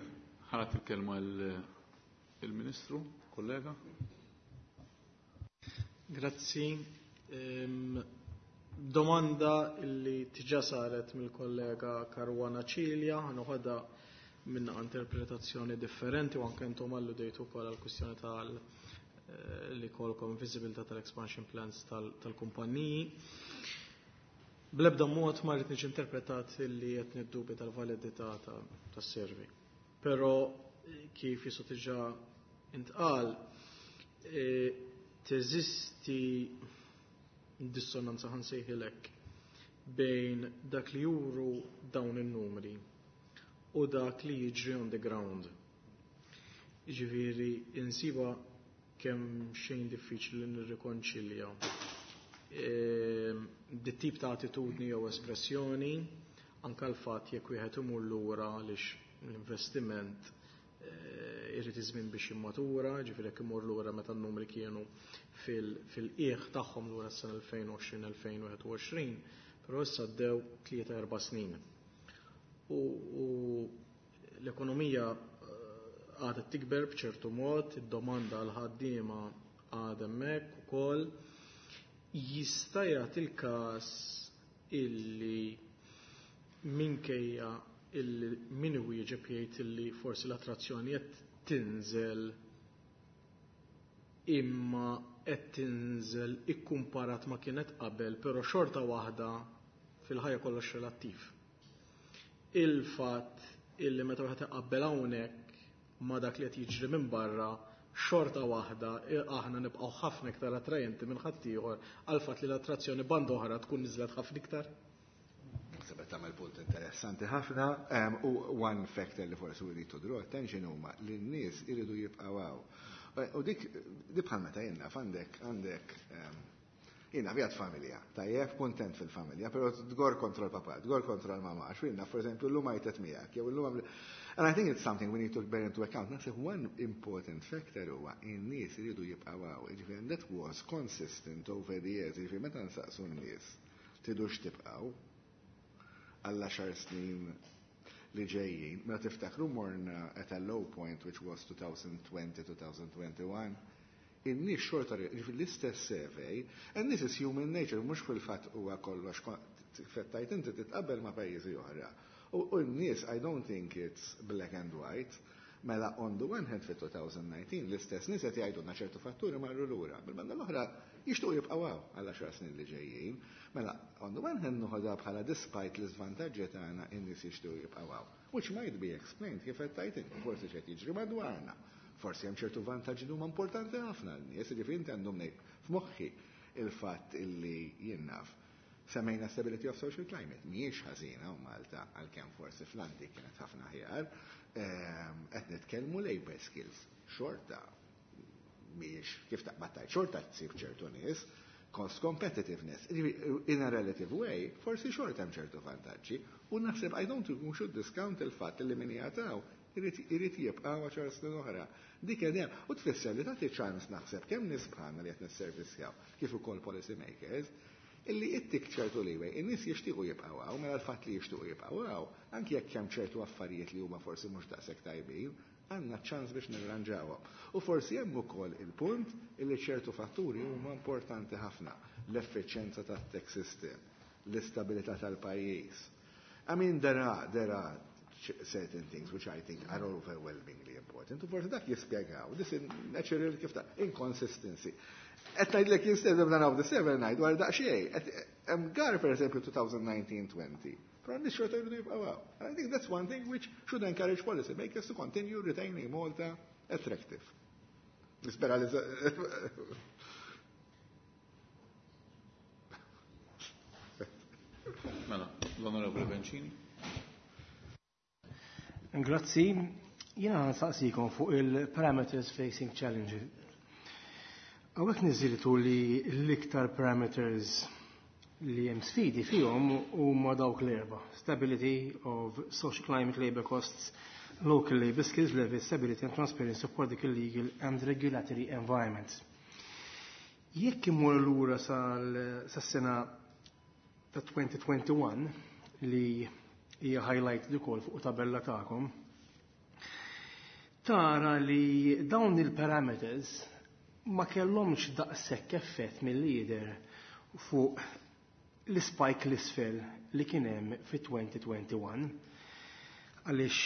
Ħa nagħti il-kelma il-Ministru, kollega. Grazzi. Ehm, domanda illi diġà saret mill-kollega Caruana Cilia, ħa noħodha minn interpretazzjoni differenti u anke intom alludejtu wkoll għall-kwistjoni tal eh, li kolkom visibilità tal-expansion plans tal-kumpanniji. Bl-ebda mod ma rrid niġi interpretat li qed niddubi tal-validità tas-survey. Però kif jisu diġà intqal, teżisti dissonanza, ħa nsejħilek, bejn dak li juru dawn in-numri u dak li jiġri on the ground. Ġifieri, insiba kemm xejn diffiċli nirrikonċilja dit tip ta' attitudni jew espressjoni anka l-fatt jekk wieħed imur lura għaliex l-investiment irrid iż-żmien biex jimmatura, ġifieri jekk imur lura meta n-numri kienu fil-qiegħ tagħhom lura s-sena elfejn u għoxrin-elfejn u wieħed u għoxrin, però issa għaddew tlieta erba' snin. U l-ekonomija għadha tikber b'ċertu mod, id-domanda għal ħaddiema għadha hemmhekk ukoll. Jista' jagħti il-każ illi minkejja illi min wieġeb jgħid illi forsi l-attrazzjoni qed tinżel, imma qed tinżel ikkumparat ma kienet qabel, però xorta waħda fil-ħajja kollox relattiv. Il-fatt illi meta wieħed iqabbel hawnhekk ma dak li qed jiġri minn barra, xorta waħda aħna nibqgħu ħafna iktar attrajenti minn ħaddieħor għal fatt li l-attrazzjoni banda oħra tkun niżlet ħafna iktar. Naħseb qed tagħmel punt interessanti ħafna, u one factor li forsi we need to draw attention huma li n-nies iridu jibqgħu hawn. U dik di bħal meta jenna għandek għandek jiena vjat familja, tajjeb, kontent fil-familja, pero tgor kontra l-papa, tgor kontra l-mama, għax jiena, for esempio, l-lum għajtet miegħek, jew l-lum. And I think it's something we need to bear into account. Naħseb one important factor huwa in-nies iridu jibqgħu hawn. Ġifieri, and that was consistent over the years. Ġifieri, meta nsaqsu n-nies tridux tibqgħu għall għaxar snin li ġejjin, meta tiftakru morna at a low point, which was twenty twenty-twenty twenty-one, in-nies xorta l-istess survey, and this is human nature, mhux fil-fatt huwa kollox fettajt inti titqabbel ma' pajjiżi oħra. U n-nies, I don't think it's black and white. Mela, on the one hand, fit-twenty nineteen l-istess nies qed jgħidulna ċertu fatturi marru lura. Bil-banda l-oħra jixtuq jibqgħu għal għaxar snin li ġejjin. Mela, on the one hand noħodha bħala despite l-iżvantaġġi tagħna, in-nies jixtuq jibqgħu. Which might be explained kif qed tgħid inti, forsi x'qed jiġri madwarna. Forsi hemm ċertu vantaġġi li huma importanti ħafna n-nies, jiġifieri inti għandhom ngħid f'moħħi il-fatt illi jien naf semmejna stability of social climate. Mhijiex ħażina u Malta, għalkemm forsi fl-antik kienet ħafna aħjar, qed nitkellmu labor skills. Xorta mhijiex kif taqbad xorta tsib ċertu nies, cost competitiveness. In a relative way, forsi xorta hemm ċertu vantaġġi u naħseb I don't think we should discount il-fatt li min jagħtaw irid jibqa' għaxar snin oħra. Dik hemm u tfisser li tagħti ċans naħseb kemm nies bħalna li qed nisservissjaw kif ukoll policy makers illi ittik ċertu leeway, in-nies jixtiequ jibqgħu hawn, mela l-fatt li jixtiequ jibqgħu hawn, anki jekk hemm ċertu affarijiet li huma forsi mhux daqshekk tajbin, għandna ċans biex nirranġawhom. U forsi hemm ukoll il-punt illi ċertu fatturi huma importanti ħafna: l-effiċjenza tat-tax system, l-istabilità tal-pajjiż. I mean, there are, there are certain things which I think are overwhelmingly important. U forsi dak jispjegaw this natural kif ta' inconsistency. Qed ngħidlek instead of naraw the seven ngħid dwar daqsxejn. Hemm gar, per esempio, twenty nineteen twenty. Però n xorta jridu jibqgħu. And I think that's one thing which should encourage policy makers to continue retaining Malta attractive. Nispera li Mela, l-Onorevole Bencini. Grazzi. Jiena nsaqsikom fuq il-parameters facing challenges. Hawnhekk niżiltu li l-iktar parameters li hemm sfidi fihom huma dawk l-erba. Stability of social climate, labor costs, local labor skills level, stability and transparency of political, legal and regulatory environment. Jekk imur lura sas-sena ta' twenty twenty-one li hija highlight ukoll fuq tabella tagħkom, tara li dawn il-parameters ma kellhomx daqshekk effett mill-lider fuq l-spike l-isfel li kien hemm fi twenty twenty-one. Għaliex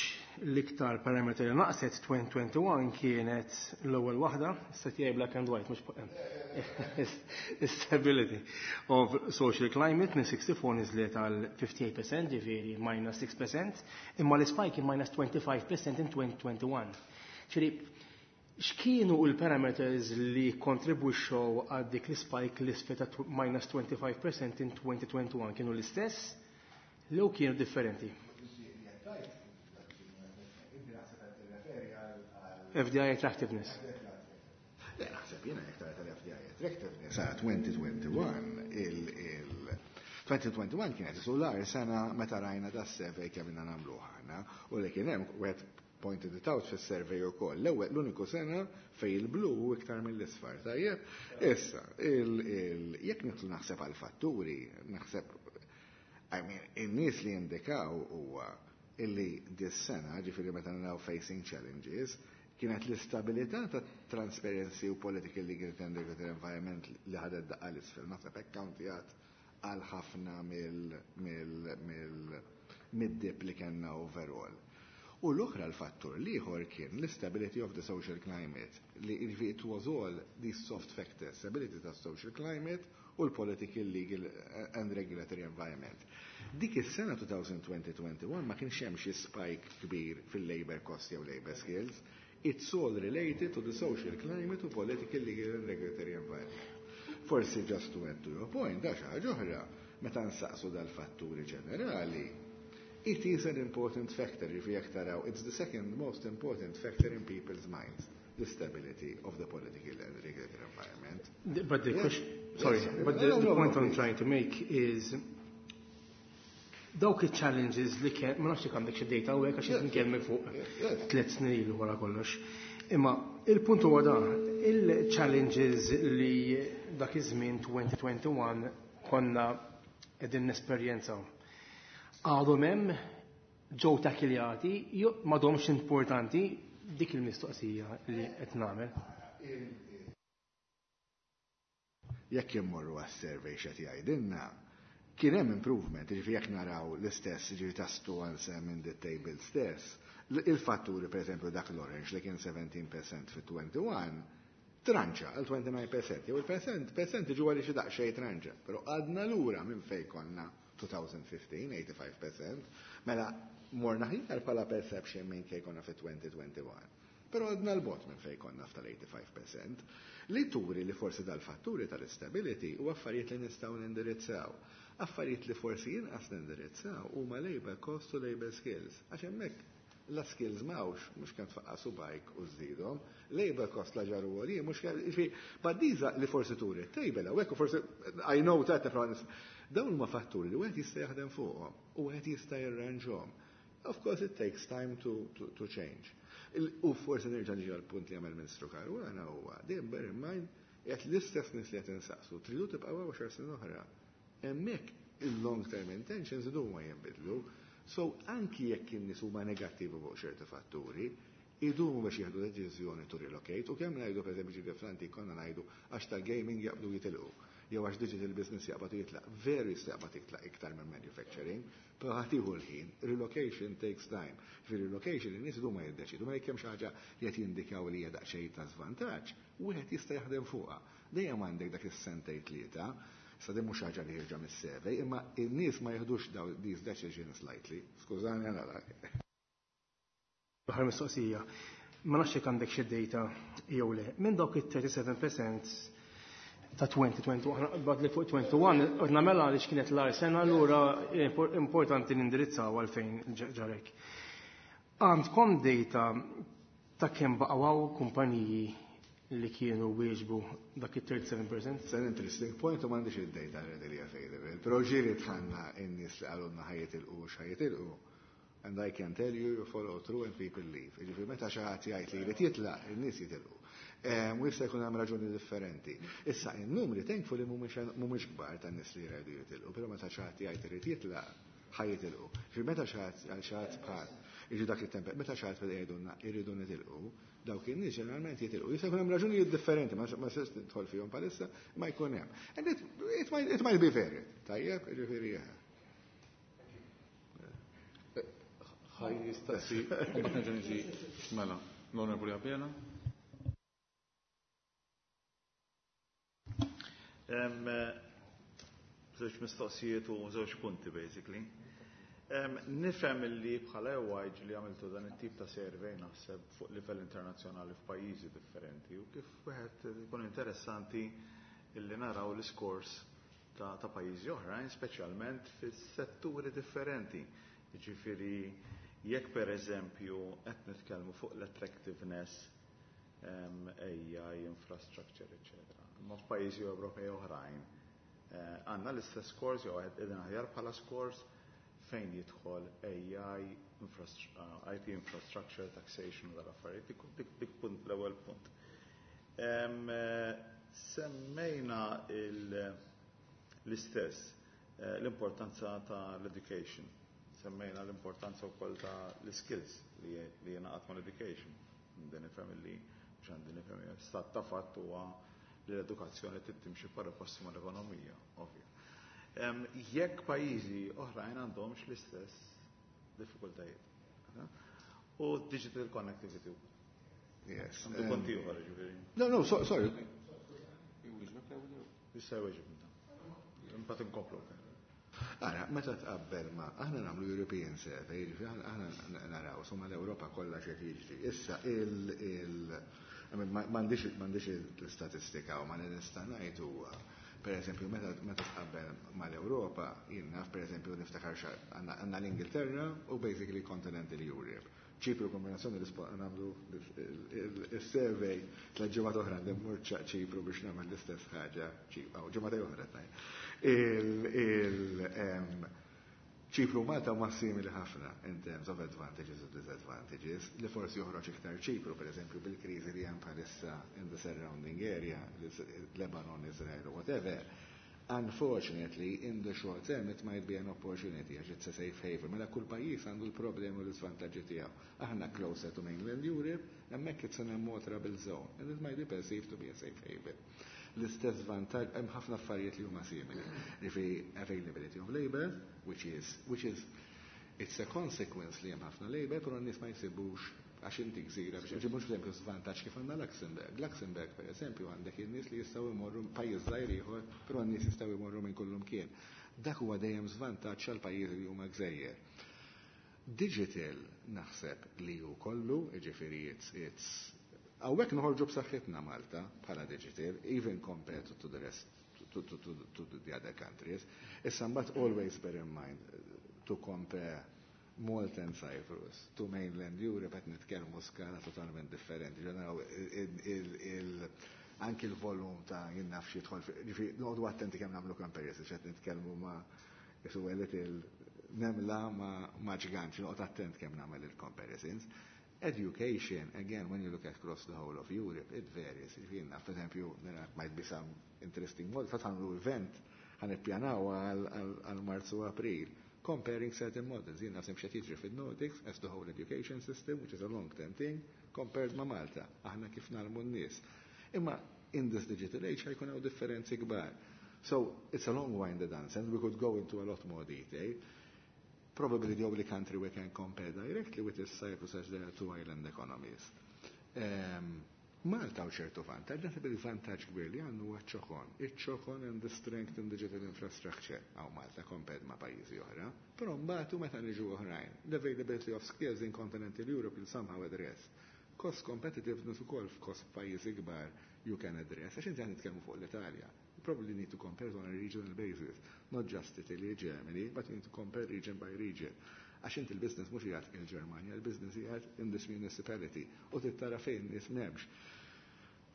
l-iktar parameter li naqset twenty twenty-one kienet l-ewwel waħda, issa tiegħi black and white, mhux stability of social climate, minn sixty-four niżlet għal fifty-eight percent, ġifieri minus six percent, imma l-spike minus twenty-five percent in twenty twenty-one. Ġifieri, x'kienu l-parameters li kontribwixxew għal dik l-spike l-isfel ta' minus twenty-five percent in twenty twenty-one? Kienu l-istess jew kienu differenti? F D I attractiveness. Le, naħseb jiena jekk tara tal-F D I attractiveness sa twenty twenty-one, il twenty twenty-one kienet l-agħar sena meta rajna da survey kemm ilna nagħmluh aħna u li kien hemm, wieħed pointed it out fis-survey ukoll. L-ewwel, l-uniku sena fej il-blu u iktar mill-isfar, tajjeb. Issa, jekk nidħlu naħseb għal fatturi, naħseb, I mean, in-nies li indikaw huwa illi dis-sena, ġifieri meta naraw facing challenges, kienet l-istabilità ta' transparency u political, legal and regulatory environment li ħadet daqqa l-isfel. Naħseb hekk countijat għal ħafna mill-dip li kellna overall. U l-oħra, l-fattur l-ieħor kien l-stability of the social climate, li it was all these soft factors, stability ta' social climate u l-political, legal and regulatory environment. Dik is-sena twenty twenty-one ma kienx hemm xi spike kbir fil-labor cost jew labor skills. It's all related to the social climate u political, legal and regulatory environment. Forsi just to add to your point, da xi ħaġa oħra, meta nsaqsu dal-fatturi ġenerali, it is an important factor if jekk taraw, it's the second most important factor in people's minds, the stability of the political and regulatory environment. But the Yes. question, sorry, Yes. but the, No, no, the no, point no, I'm please. trying to make is dawk il-challenges li kien, ma nafx jekk għandek xi data u hekk, għax Yes. nitkellmu fuq Yes. tliet snin ilu wara kollox. Imma il-punt huwa dan, il-challenges li dak iż-żmien twenty twenty-one konna qegħdin nesperjenzaw. Għadhom hemm, ġew takiljati, jew m'għadhomx importanti? Dik il-mistoqsija li qed nagħmel. Jekk immorru għas-survey x'qed jgħidilna, kien hemm improvement, jiġifieri jekk naraw l-istess, jiġifieri tastu answer in the table stess, l- il-fatturi, per esempio, dak l-orange li kien seventeen percent fit-twenty-one, tranċa għal twenty-nine percent, jew il-percent, percent ġu għalli xi daqsxejn tranċa, però għadna lura minn fej konna twenty fifteen, eighty-five percent, mela morna aħjar bħala perception minn kej konna fi twenty twenty-one. Però għadna 'l bogħod minn fej konna f'tal-eighty-five percent, li turi li forsi dal-fatturi tal-stability u affarijiet li nistgħu nindirizzaw. Affarijiet li forsi jinqas nindirizzaw huma labor cost u labor skills. Għax hemmhekk la skills m'hawnx, mhux kemm tfaqqa subgħajk u żżidhom, labor cost la ġaru għoli, mhux kemm, jiġifieri, but these li forsi turi table hawnhekk u forsi I know that dawn huma fatturi li wieħed jista' jaħdem fuqhom u wieħed jista' jirranġhom. Of course it takes time to, to, to change. Il- U forsi nerġa' niġi għal-punt li għamel Ministru Caruana huwa, dejjem bear in mind, qed l-istess nies li qed insaqsu, tridu tibqgħu għaxar snin oħra. Hemmhekk il-long term intentions idu ma jinbidlu. So anki jekk in-nies huma negattivi fuq ċerti fatturi, idumu biex jieħdu deċiżjoni to relocate. U kemm ngħidu, pereżempju, ġifieri fl-antik konna ngħidu għax tal-gaming jaqbdu jitilqu jew għax digital business jaqbad jitlaq. Veru jista' jaqbad jitlaq iktar minn manufacturing, però ħa tieħu l-ħin. Relocation takes time. Fi relocation in-nies idumu ma jiddeċidu, ma jekk hemm xi ħaġa li qed jindikaw li hija daqsxejn ta' żvantaġġ, wieħed jista' jaħdem fuqha. Dejjem għandek dak is-sentejn tlieta. Sa din mhux ħaġa li ħierġa mis-survey, imma in-nies ma jieħdux daw these decisions lightly. Skużani, għana. L-aħħar mistoqsija. Ma nafx jekk għandek xi data jew le. Minn dawk it-thirty-seven percent ta' twenty twenty-one, bad li fuq twenty-one, ordna mela għaliex kienet l-agħar sena, allura importanti nindirizzaw għalfejn ġarek. Għandkom data ta' kemm baqgħu kumpaniji li kienu wieġbu dak it-thirty-seven percent? It's an interesting point u m'għandix id-data readily available. Però ġieli dħalna in-nies li qalulna ħa jitilqu u x'ħa jitilqu. And I can tell you, you follow through and people leave. Ġifieri meta xi ħadd jgħid li jrid jitlaq, in-nies jitilqu. U jista' jkun hemm raġuni differenti. Issa in-numri thankfully mhumiex kbar tan-nies li jridu jitilqu, però meta xi ħadd jgħid irid jitlaq, ħa jitilqu. Ġifieri meta xi ħadd għal xi ħadd bħal jiġu dak it-temp, meta xi ħadd jgħidulna irridu nitilqu, dawk in-nies ġeneralment jitilqu. Jista' jkun hemm raġunijiet differenti, ma ma nistax nidħol fihom bħalissa, ma jkun hemm. And it, it, might, it might be varied. Tajjeb, ġifieri. Ħa jistaqsi, u mbagħad nerġa' niġi mela. L-Onorevoli Abela. Em, eh, Żewġ mistoqsijiet u żewġ punti basically. Em, Nifhem li bħala E Y li għamiltu dan it-tip ta' survey, naħseb, fuq livell internazzjonali f'pajjiżi differenti u kif wieħed ikun interessanti illi naraw l-iskors ta', ta' pajjiżi oħrajn, speċjalment fis-setturi differenti. Jiġifieri jekk per eżempju qed nitkellmu fuq l-attractiveness um, A I, infrastructure, eccetera. Ma f'pajjiżi Ewropej oħrajn eh, għandna l-istess scores jew qegħdin aħjar bħala scores fejn jidħol A I, infrastru- uh, I T infrastructure, taxation u dal-affarijiet? Dik, dik, dik punt, l-ewwel punt. Em, eh, Semmejna il- l-istess eh, l-importanza ta' l-education. Semmejna l-importanza wkoll ta' l-skills li li jingħaqad ma' l-education. Għandi nifhem li mhux għandi nifhem, stat ta' fatt huwa li l-edukazzjoni trid timxi pari passi mal-ekonomija, ovvja. Em, Jekk pajjiżi oħrajn għandhomx l-istess diffikultajiet. U digital connectivity wkoll. Yes. Għandu um, konti oħra, ġifieri. No, no, so, sorry. Issa jweġib inta. Imbagħad inkomplu. Ara, meta tqabbel ma, aħna nagħmlu European survey, jiġifieri aħna aħna naraw summa l-Ewropa kollha x'qed jiġri. Issa il il I mean, ma- m'għandix m'għandix l-istatistika u ma nista' ngħid huwa, per eżempju, meta meta tqabbel mal-Ewropa, jien naf, per eżempju, niftakar xa għandna għandna l-Ingilterra u basically continental Europe. Ċipru, kombinazzjoni li nagħmlu il-survey tliet ġimgħat oħra, mmur Ċipru biex nagħmel l-istess ħaġa, Ċipru, ġimgħa oħra tnejn. Il, il, em, Ċipru u Malta huma simili ħafna in terms of advantages u disadvantages, li forsi joħroġ iktar Ċipru, per eżempju, bil-kriżi li hemm bħalissa in the surrounding area, Lebanon, Israel, whatever. Unfortunately, in the short term, it might be an opportunity, għax it's a safe haven. Mela kull pajjiż għandu l-problemi u l-iżvantaġġi tiegħu. Aħna closer to mainland Europe, hemmhekk it's in a more troubled zone, and it might be perceived to be a safe haven. L-istess vantaġġ, hemm ħafna affarijiet li huma simili. Jiġifieri availability of labor, which is, which is it's a consequence li hemm ħafna labor, però n-nies ma jsibux għax inti gżira biex ġibux eżempju żvantaġġ kif għandna Luxemburg. Luxemburg, per eżempju, għandek in-nies li jistgħu jmorru pajjiż żgħir ieħor, però n-nies jistgħu jmorru minn kullum kien. Dak huwa dejjem żvantaġġ għal pajjiżi li huma gżejjer. Digital naħseb li hu kollu, jiġifieri it's, it's Hawnhekk noħorġu b'saħħitna Malta bħala digital, even compared to the rest, to, to, to, to the other countries. Issa mbagħad always bear in mind uh, to compare Malta and Cyprus to mainland Europe, qed nitkellmu skala totalment differenti. Ġeneraw il anki l-volum ta' jien naf xi jidħol, ġifieri noqogħdu attenti kemm nagħmlu comparison, qed nitkellmu ma' jisu il nemla ma' ma' ġgant, noqgħod attent kemm nagħmel il-comparisons. Education, again, when you look across the whole of Europe, it varies. Ġifieri naf, per eżempju, there might be some interesting models, fatt għamlu event, ħa nippjanaw għal Marzu, April, comparing certain models. Jien naf x'qed jiġri fil-Nordics as the whole education system, which is a long-term thing, compared ma' Malta. Aħna kif ngħallmu n-nies. Imma in this digital age ħa jkun hawn differenzi kbar. So it's a long-winded answer, and we could go into a lot more detail. Probably the only country we can compare directly with is Cyprus, as there are two island economies. Um, Malta u ċertu vantaġġ, naħseb il-vantaġġ kbir li għandu huwa ċ-ċokon. Iċ-ċokon and the strength in digital infrastructure hawn Malta compared ma' pajjiżi oħra. Però mbagħad meta niġu oħrajn, l-availability of skills in continental Europe will somehow address. Cost competitiveness ukoll f'cost pajjiżi kbar you can address. Għax inti qed nitkellmu fuq l-Italja. You probably need to compare on a regional basis, not just Italy, Germany, but you need to compare region by region. Għax inti il-business mhux qiegħed il-Ġermanja, il-business qiegħed in this municipality u tittara fejn nies m'hemmx.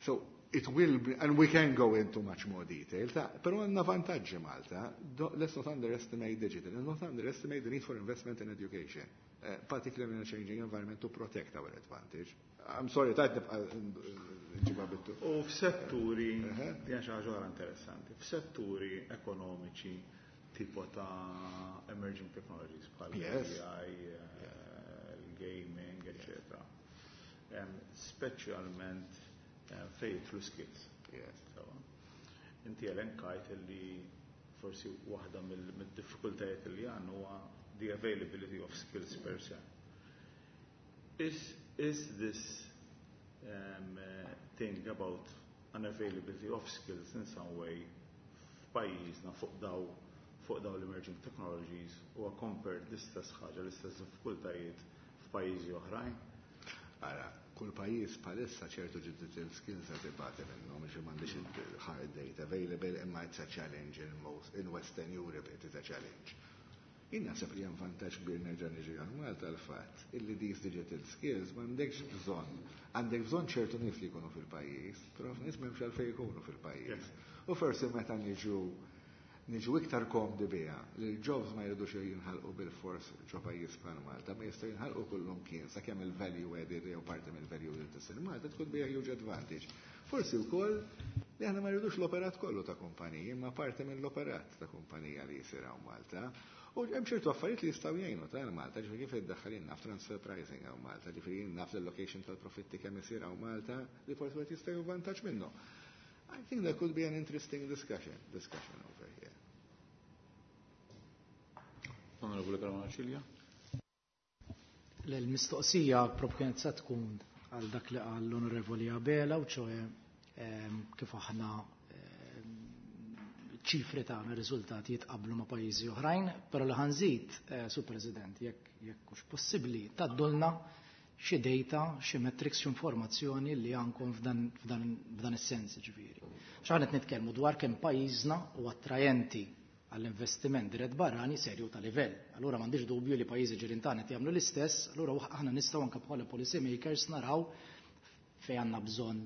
So it will be, and we can go into much more detail, ta, però għandna vantaġġi Malta. Do, let's not underestimate digital and not underestimate the need for investment in education, uh, particularly in a changing environment, to protect our advantage. I'm sorry, tajt nibqa nġibha bittu. U f'setturi, di xi ħaġa oħra interessanti, f'setturi ekonomiċi tipo ta' emerging technologies bħal Yes. A I, eh, il-gaming, eccetera. Em, Speċjalment em, fejn jidħlu skills. Yes. Sewa. Inti elenkajt li forsi waħda mill- mid-diffikultajiet li għandna huwa the availability of skills per se. Is, is this um, uh, thing about unavailability of skills in some way f'pajjiżna fuq daw fuq daw l-emerging technologies u compared l-istess ħaġa, l-istess diffikultajiet f'pajjiżi oħrajn? Ara, kull pajjiż bħalissa ċertu digital skills qed ibati minnhom, biex m'għandix hard data available, imma it's a challenge in most in Western Europe, it is a challenge. Jien naħseb li hemm vantaġġ kbir, nerġa' niġi għal Malta, l-fatt illi these digital skills m'għandekx bżonn. Għandek bżonn ċertu nies li jkunu fil-pajjiż, però nies m'hemmx għalfejn jkunu fil-pajjiż. U forsi meta niġu niġu iktar komdi biha li l-jobs ma jridux jinħalqu bil-fors ġo pajjiż bħal Malta, ma jistgħu jinħalqu kullum kien sakemm il-value added jew parti mill-value added tisir Malta tkun be a huge advantage. Forsi wkoll li aħna ma rridux l-operat kollu ta' kumpaniji, imma parti mill-operat ta' kumpanija li jsir hawn Malta. U hemm ċertu affarijiet li jistgħu jgħinu ta' Malta, ġifieri kif iddaħħal naf transfer pricing hawn Malta, ġifieri naf l-allocation tal-profitti kemm isir hawn Malta li forsi wieħed jista' jieħu vantaġġ minnu. I think there could be an interesting discussion, discussion over here. Onorevole Caruana Cilia. L-mistoqsija propju kienet se tkun għal dak li qal l-Onorevoli Abela, u ċoe kif aħna ċifri tagħna, riżultati jitqablu ma' pajjiżi oħrajn, però li ħa nżid, eh, Sur President, jekk jekk hux possibbli tgħaddulna xi data, xi metrics, xi informazzjoni li għandkom f'dan, f'dan, f'dan is-sens ġifieri. X'aħna qed nitkellmu dwar kemm pajjiżna u attrajenti għall-investiment dirett barrani serju ta' livell. Allura m'għandix dubju li pajjiżi ġirien tagħna qed jagħmlu l-istess, allura aħna nistgħu anke bħala policy makers naraw fejn għandna bżonn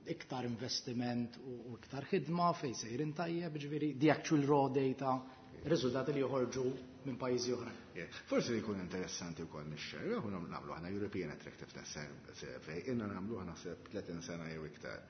iktar investiment u iktar ħidma, fejn sejrin tajjeb, ġifieri the actual raw data, riżultati li joħorġu minn pajjiżi oħrajn. Forsi li jkun interessanti wkoll nixxerja, u nagħmlu aħna European Attractiveness Survey, inna nagħmlu naħseb tletin sena jew iktar.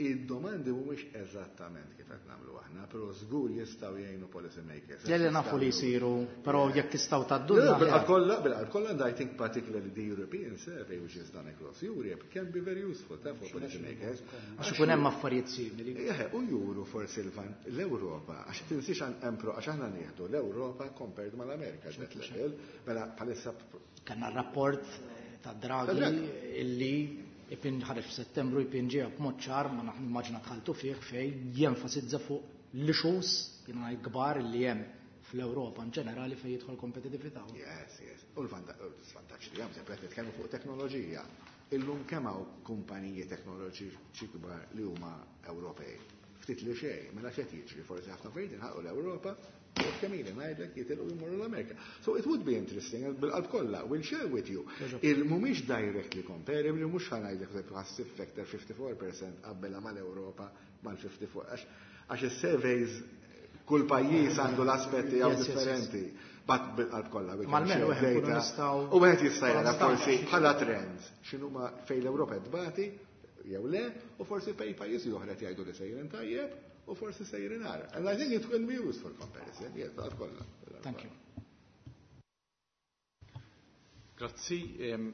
Id-domandi mhumiex eżattament kif qed nagħmlu aħna, però żgur jistgħu jgħinu policy makers. Le, nafu li jsiru, però jekk tistgħu tgħaddulna. Bil-qalb kollha, bil-qalb kollha, and I think particularly the European survey, which is done across Europe, can be very useful ta' for policy makers. Għax ikun hemm affarijiet simili. U juru forsi l-Ewropa, għax tinsiex empro, għax aħna nieħdu l-Ewropa compared mal-Amerika, that level, mela bħalissa. Kellna rapport ta' Draghi illi ipin ħareġ f'Settembru, jpinġiha b'mod ċar, ma naħ nimmaġina dħaltu fih, fej jenfasizza fuq l-issues jiena kbar li hemm fl-Ewropa in ġenerali fejn jidħol kompetitività. Yes, yes. U l-vantaġġ li hemm, sempre qed nitkellmu fuq teknoloġija. Illum kemm hawn kumpaniji teknoloġiċi kbar li huma Ewropej? Ftit li xejn, mela x'qed jiġri? Forsi ħafna affarijiet inħalqu l-Ewropa u kemm ili ngħidlek jitilqu jmorru l-Amerika. So it would be interesting, bil-qalb kollha, we'll share with you. Il mhumiex directly comparable, mhux ħa ngħidlek ħassib factor fifty-four percent qabbelha mal-Ewropa mal-fifty-four, għax għax is-surveys kull pajjiż għandu l-aspetti għaw differenti. But bil-qalb kollha. Mal-menu nistgħu. U wieħed jista' jara forsi bħala trends x'inhuma fejn l-Ewropa tbati jew le, u forsi fejn pajjiżi oħra jgħidu li sejrin tajjeb u forsi sejrin agħar. And I think it will be used for comparison. Yes, bil kollha. Thank you. Grazzi. Jien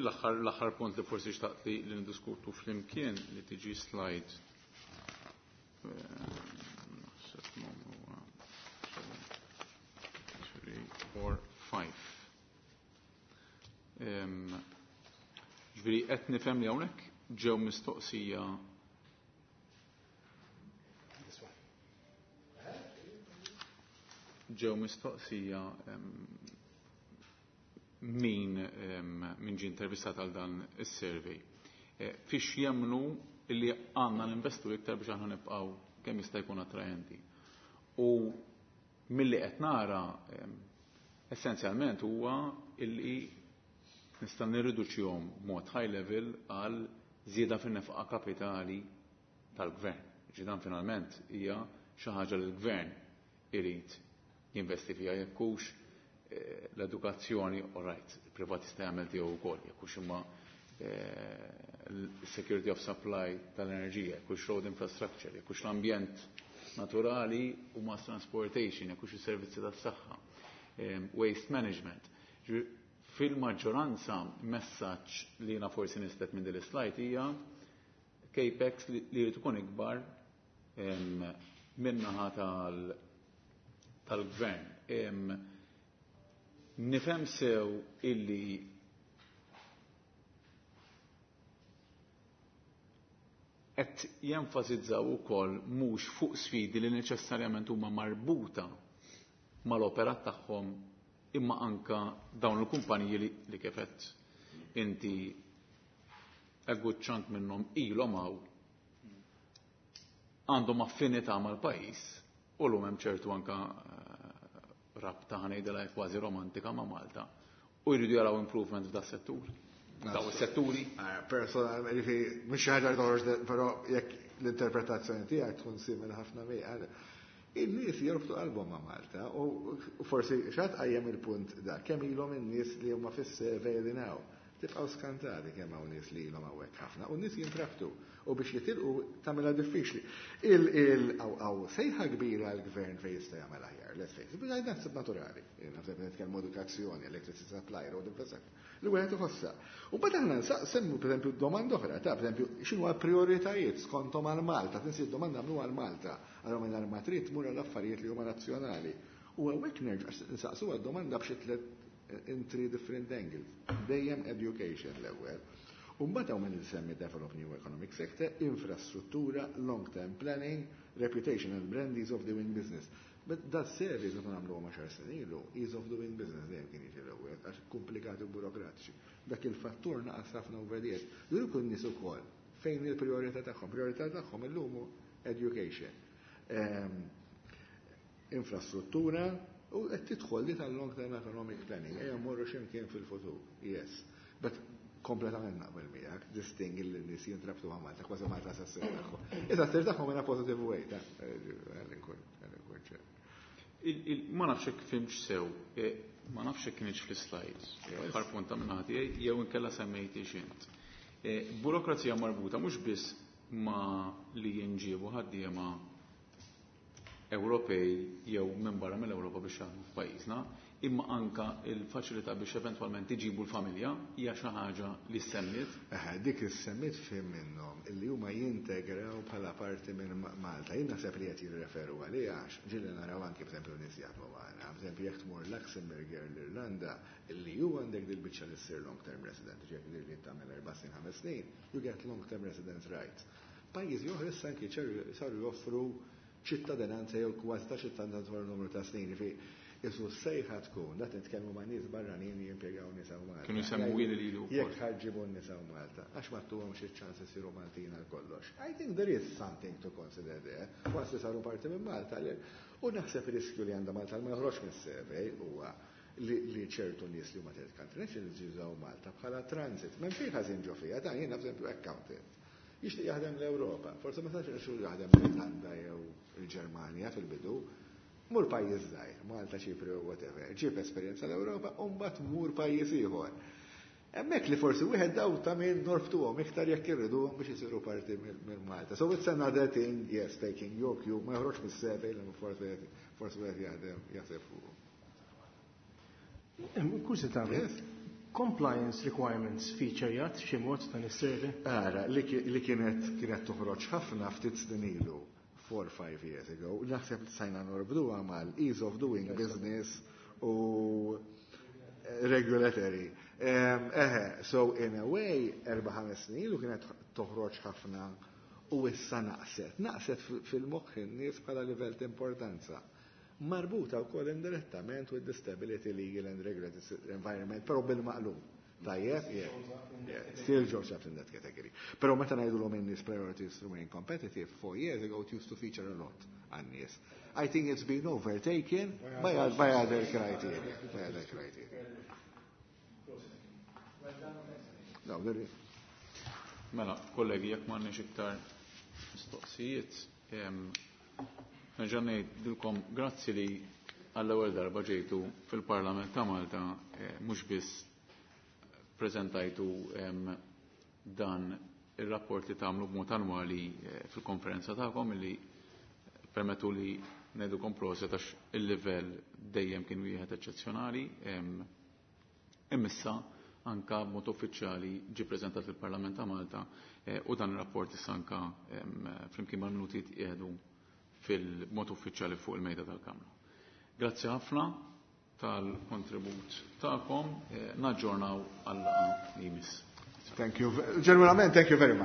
l-aħħar l-aħħar punt li forsi xtaqt li li ndiskutu flimkien li tiġi slide. Naħseb huwa three, four, five. Ġifieri qed nifhem li hawnhekk ġew mistoqsija ġew mistoqsija min min ġie intervistat għal dan is-survey. Eh, fiex jemmnu illi għandna ninvestu iktar biex aħna nibqgħu kemm jista' jkun attrajenti. U milli qed nara essenzjalment huwa illi nista' nirriduċihom mod high level għal żieda fin-nefqa kapitali tal-gvern. Ġidan finalment hija xi ħaġa li l-gvern irid jinvesti fiha, jekk hux eh, l-edukazzjoni, all right, il-privat jista' jagħmel tiegħu wkoll, jekk hux imma eh, l-security of supply tal-enerġija, jekk hux road infrastructure, jekk hux l-ambjent naturali u mass transportation, jekk hux is-servizzi tas-saħħa, eh, waste management. Fil-maġġoranza messaġġ li jiena forsi nislet minn din is-slide hija CAPEX li jrid ikun ikbar min-naħa tal-gvern. Nifhem sew illi Qed jenfasizzaw ukoll mhux fuq sfidi li neċessarjament huma marbuta mal-operat tagħhom imma anka dawn il-kumpaniji li, li kif għedt inti a good chunk minnhom ilhom hawn għandhom affinità mal-pajjiż u llum hemm ċertu anka eh, rabta ħa ngħidilha kważi romantika ma' Malta u jridu jaraw improvement f'da settur. Daw is-setturi. Personalment, jiġifieri, mhux xi ħaġa li toħroġ, però jekk l-interpretazzjoni tiegħek tkun simili ħafna miegħi. In-nies jorbtu qalbhom ma' Malta u forsi x'għad qajjem il-punt da kemm ilhom in-nies li huma fis-survey li naw. Tibqgħu skantati kemm hawn nies li ilhom hawnhekk ħafna u n-nies jintrabtu u biex jitilqu tagħmilha diffiċli. Il il hawn sejħa kbira l-gvern fejn jista' jagħmel aħjar, let's face it, naħseb naturali. Naħseb nitkellmu edukazzjoni, electricity supply, road infrastructure. Li wieħed iħossha. U mbagħad aħna nsaqsemmu pereżempju domanda oħra, ta' pereżempju x'inhu l-prijoritajiet skontom għal Malta, tinsi domanda għamlu għal Malta, allura minn ma trid tmur għall affarijiet li huma nazzjonali. U hawnhekk nerġa' nsaqsu għad-domanda b'xi tliet in three different angles. Dejjem education l-ewwel. U mbagħad hawn min isemmi develop new economic sector, infrastruttura, long-term planning, reputation and brand, ease of doing business. But that surveys meta nagħmlu għaxar snin ilu, ease of doing business dejjem kien jiġi l-ewwel, għax komplikati u burokratiċi. Dak il-fattur naqas ħafna over the years. Juru kun nies ukoll fejn il-priorità tagħhom. Priorità tagħhom illum education. Ehm, infrastruttura u qed tidħol li tal-long term economic planning. Ejja mmorru x'imkien fil-futur. Yes. But kompletament naqbel miegħek, this thing il nies jintrabtu ma' Malta, kważi Malta sa ssir tagħhom. Issa ssir tagħhom in a positive way, ta' nkun ċer. Ma nafx hekk fhimtx sew, e, ma nafx hekk kienx fl-slides, aħħar punta minn tiegħi jew inkella semmejti x'int. E, burokrazija marbuta mhux biss ma li jinġiebu ħaddiema Ewropej jew minn barra mill-Ewropa biex jaħdmu f'pajjiżna, imma anka il-faċilità biex eventwalment iġibu l-familja hija xi ħaġa li semmiet. Eħe, dik is-semmiet fim minnhom illi huma jintegraw bħala parti minn Malta. Jien naħseb li qed jirreferu għaliha għax ġieli naraw anki b'eżempju nies jaħdmu magħna. B'eżempju jekk tmur Luxembourg l-Irlanda illi ju għandek dil-biċċa li ssir long term resident, ġifieri li tagħmel erba' snin ħames snin, you get long term residence rights. Pajjiżi oħra issa anki saru joffru ċittadinanza jew kważi ta' ċittadinanza wara numru ta' snin. Isu sejħa tkun, dat nitkellmu ma' nies barranin li jimpjegaw nisa u Malta. Kienu jsemmu ili lilu. Jekk ħa ġġibu nisa u Malta, għax ma tuhom xi ċans isiru Maltin għal kollox. I think there is something to consider there. Once li saru parti minn Malta, u naħseb riskju li għandha Malta ma joħroġ mis-survey huwa li ċertu nies li huma third country nationals jużaw Malta bħala transit. M'hemm xejn ħażin ġo fiha, ta' jiena b'eżempju accountant. Jixtieq jaħdem l-Ewropa, forse ma sax irxu jaħdem l-Irlanda jew il-Ġermanja fil-bidu, mur pajjiż żgħir, Malta, Ċipru, whatever, ġib esperjenza l-Ewropa u mbagħad mur pajjiż ieħor. Hemmhekk li forsi wieħed daw ta' min norbtuhom iktar jekk irriduhom biex isiru parti minn Malta. So it's another thing, yes, taking your cue, ma joħroġ mis-survey li forsi forsi wieħed jaħdem jaħseb fuq. Kurżità, compliance requirements feature jgħat xi mod dan is-survey? Ara, li kienet kienet toħroġ ħafna ftit snin ilu, four five years ago, naħseb li sajna norbduha mal ease of doing business u regulatory. Eħe, so in a way, erba' ħames snin ilu kienet toħroġ ħafna u issa naqset. Naqset fil-moħħ in-nies bħala livell ta' importanza. Marbuta wkoll indirettament with the stability legal and regulatory environment, però bil-maqlub. Tajjeb, yeah, yeah, still shows up in that category. Però meta ngħidulhom in-nies priorities remain competitive, four years ago it used to feature a lot għan-nies. I think it's been overtaken by, by other criteria. By other criteria. No, there is. Mela, kollegi, jekk m'għandniex iktar mistoqsijiet, nerġa' ngħidilkom grazzi li għall-ewwel darba ġejtu fil-Parlament ta' Malta mhux biss preżentajtu dan ir-rapport li tagħmlu b'mod annwali fil-konferenza tagħkom li permettu li ngħidukom proset għax il-livell dejjem kien wieħed eċċezzjonali. Imissa anka b'mod uffiċjali ġie preżentat fil-Parlament ta' Malta u dan ir-rapport issa anka flimkien mal-minuti tqiegħdu fil-mod uffiċjali fuq il-mejda tal-Kamra. Grazzi ħafna tal-kontribut tagħkom, naġġornaw għal li jmiss. Thank you. Ġenwinament, thank you very much.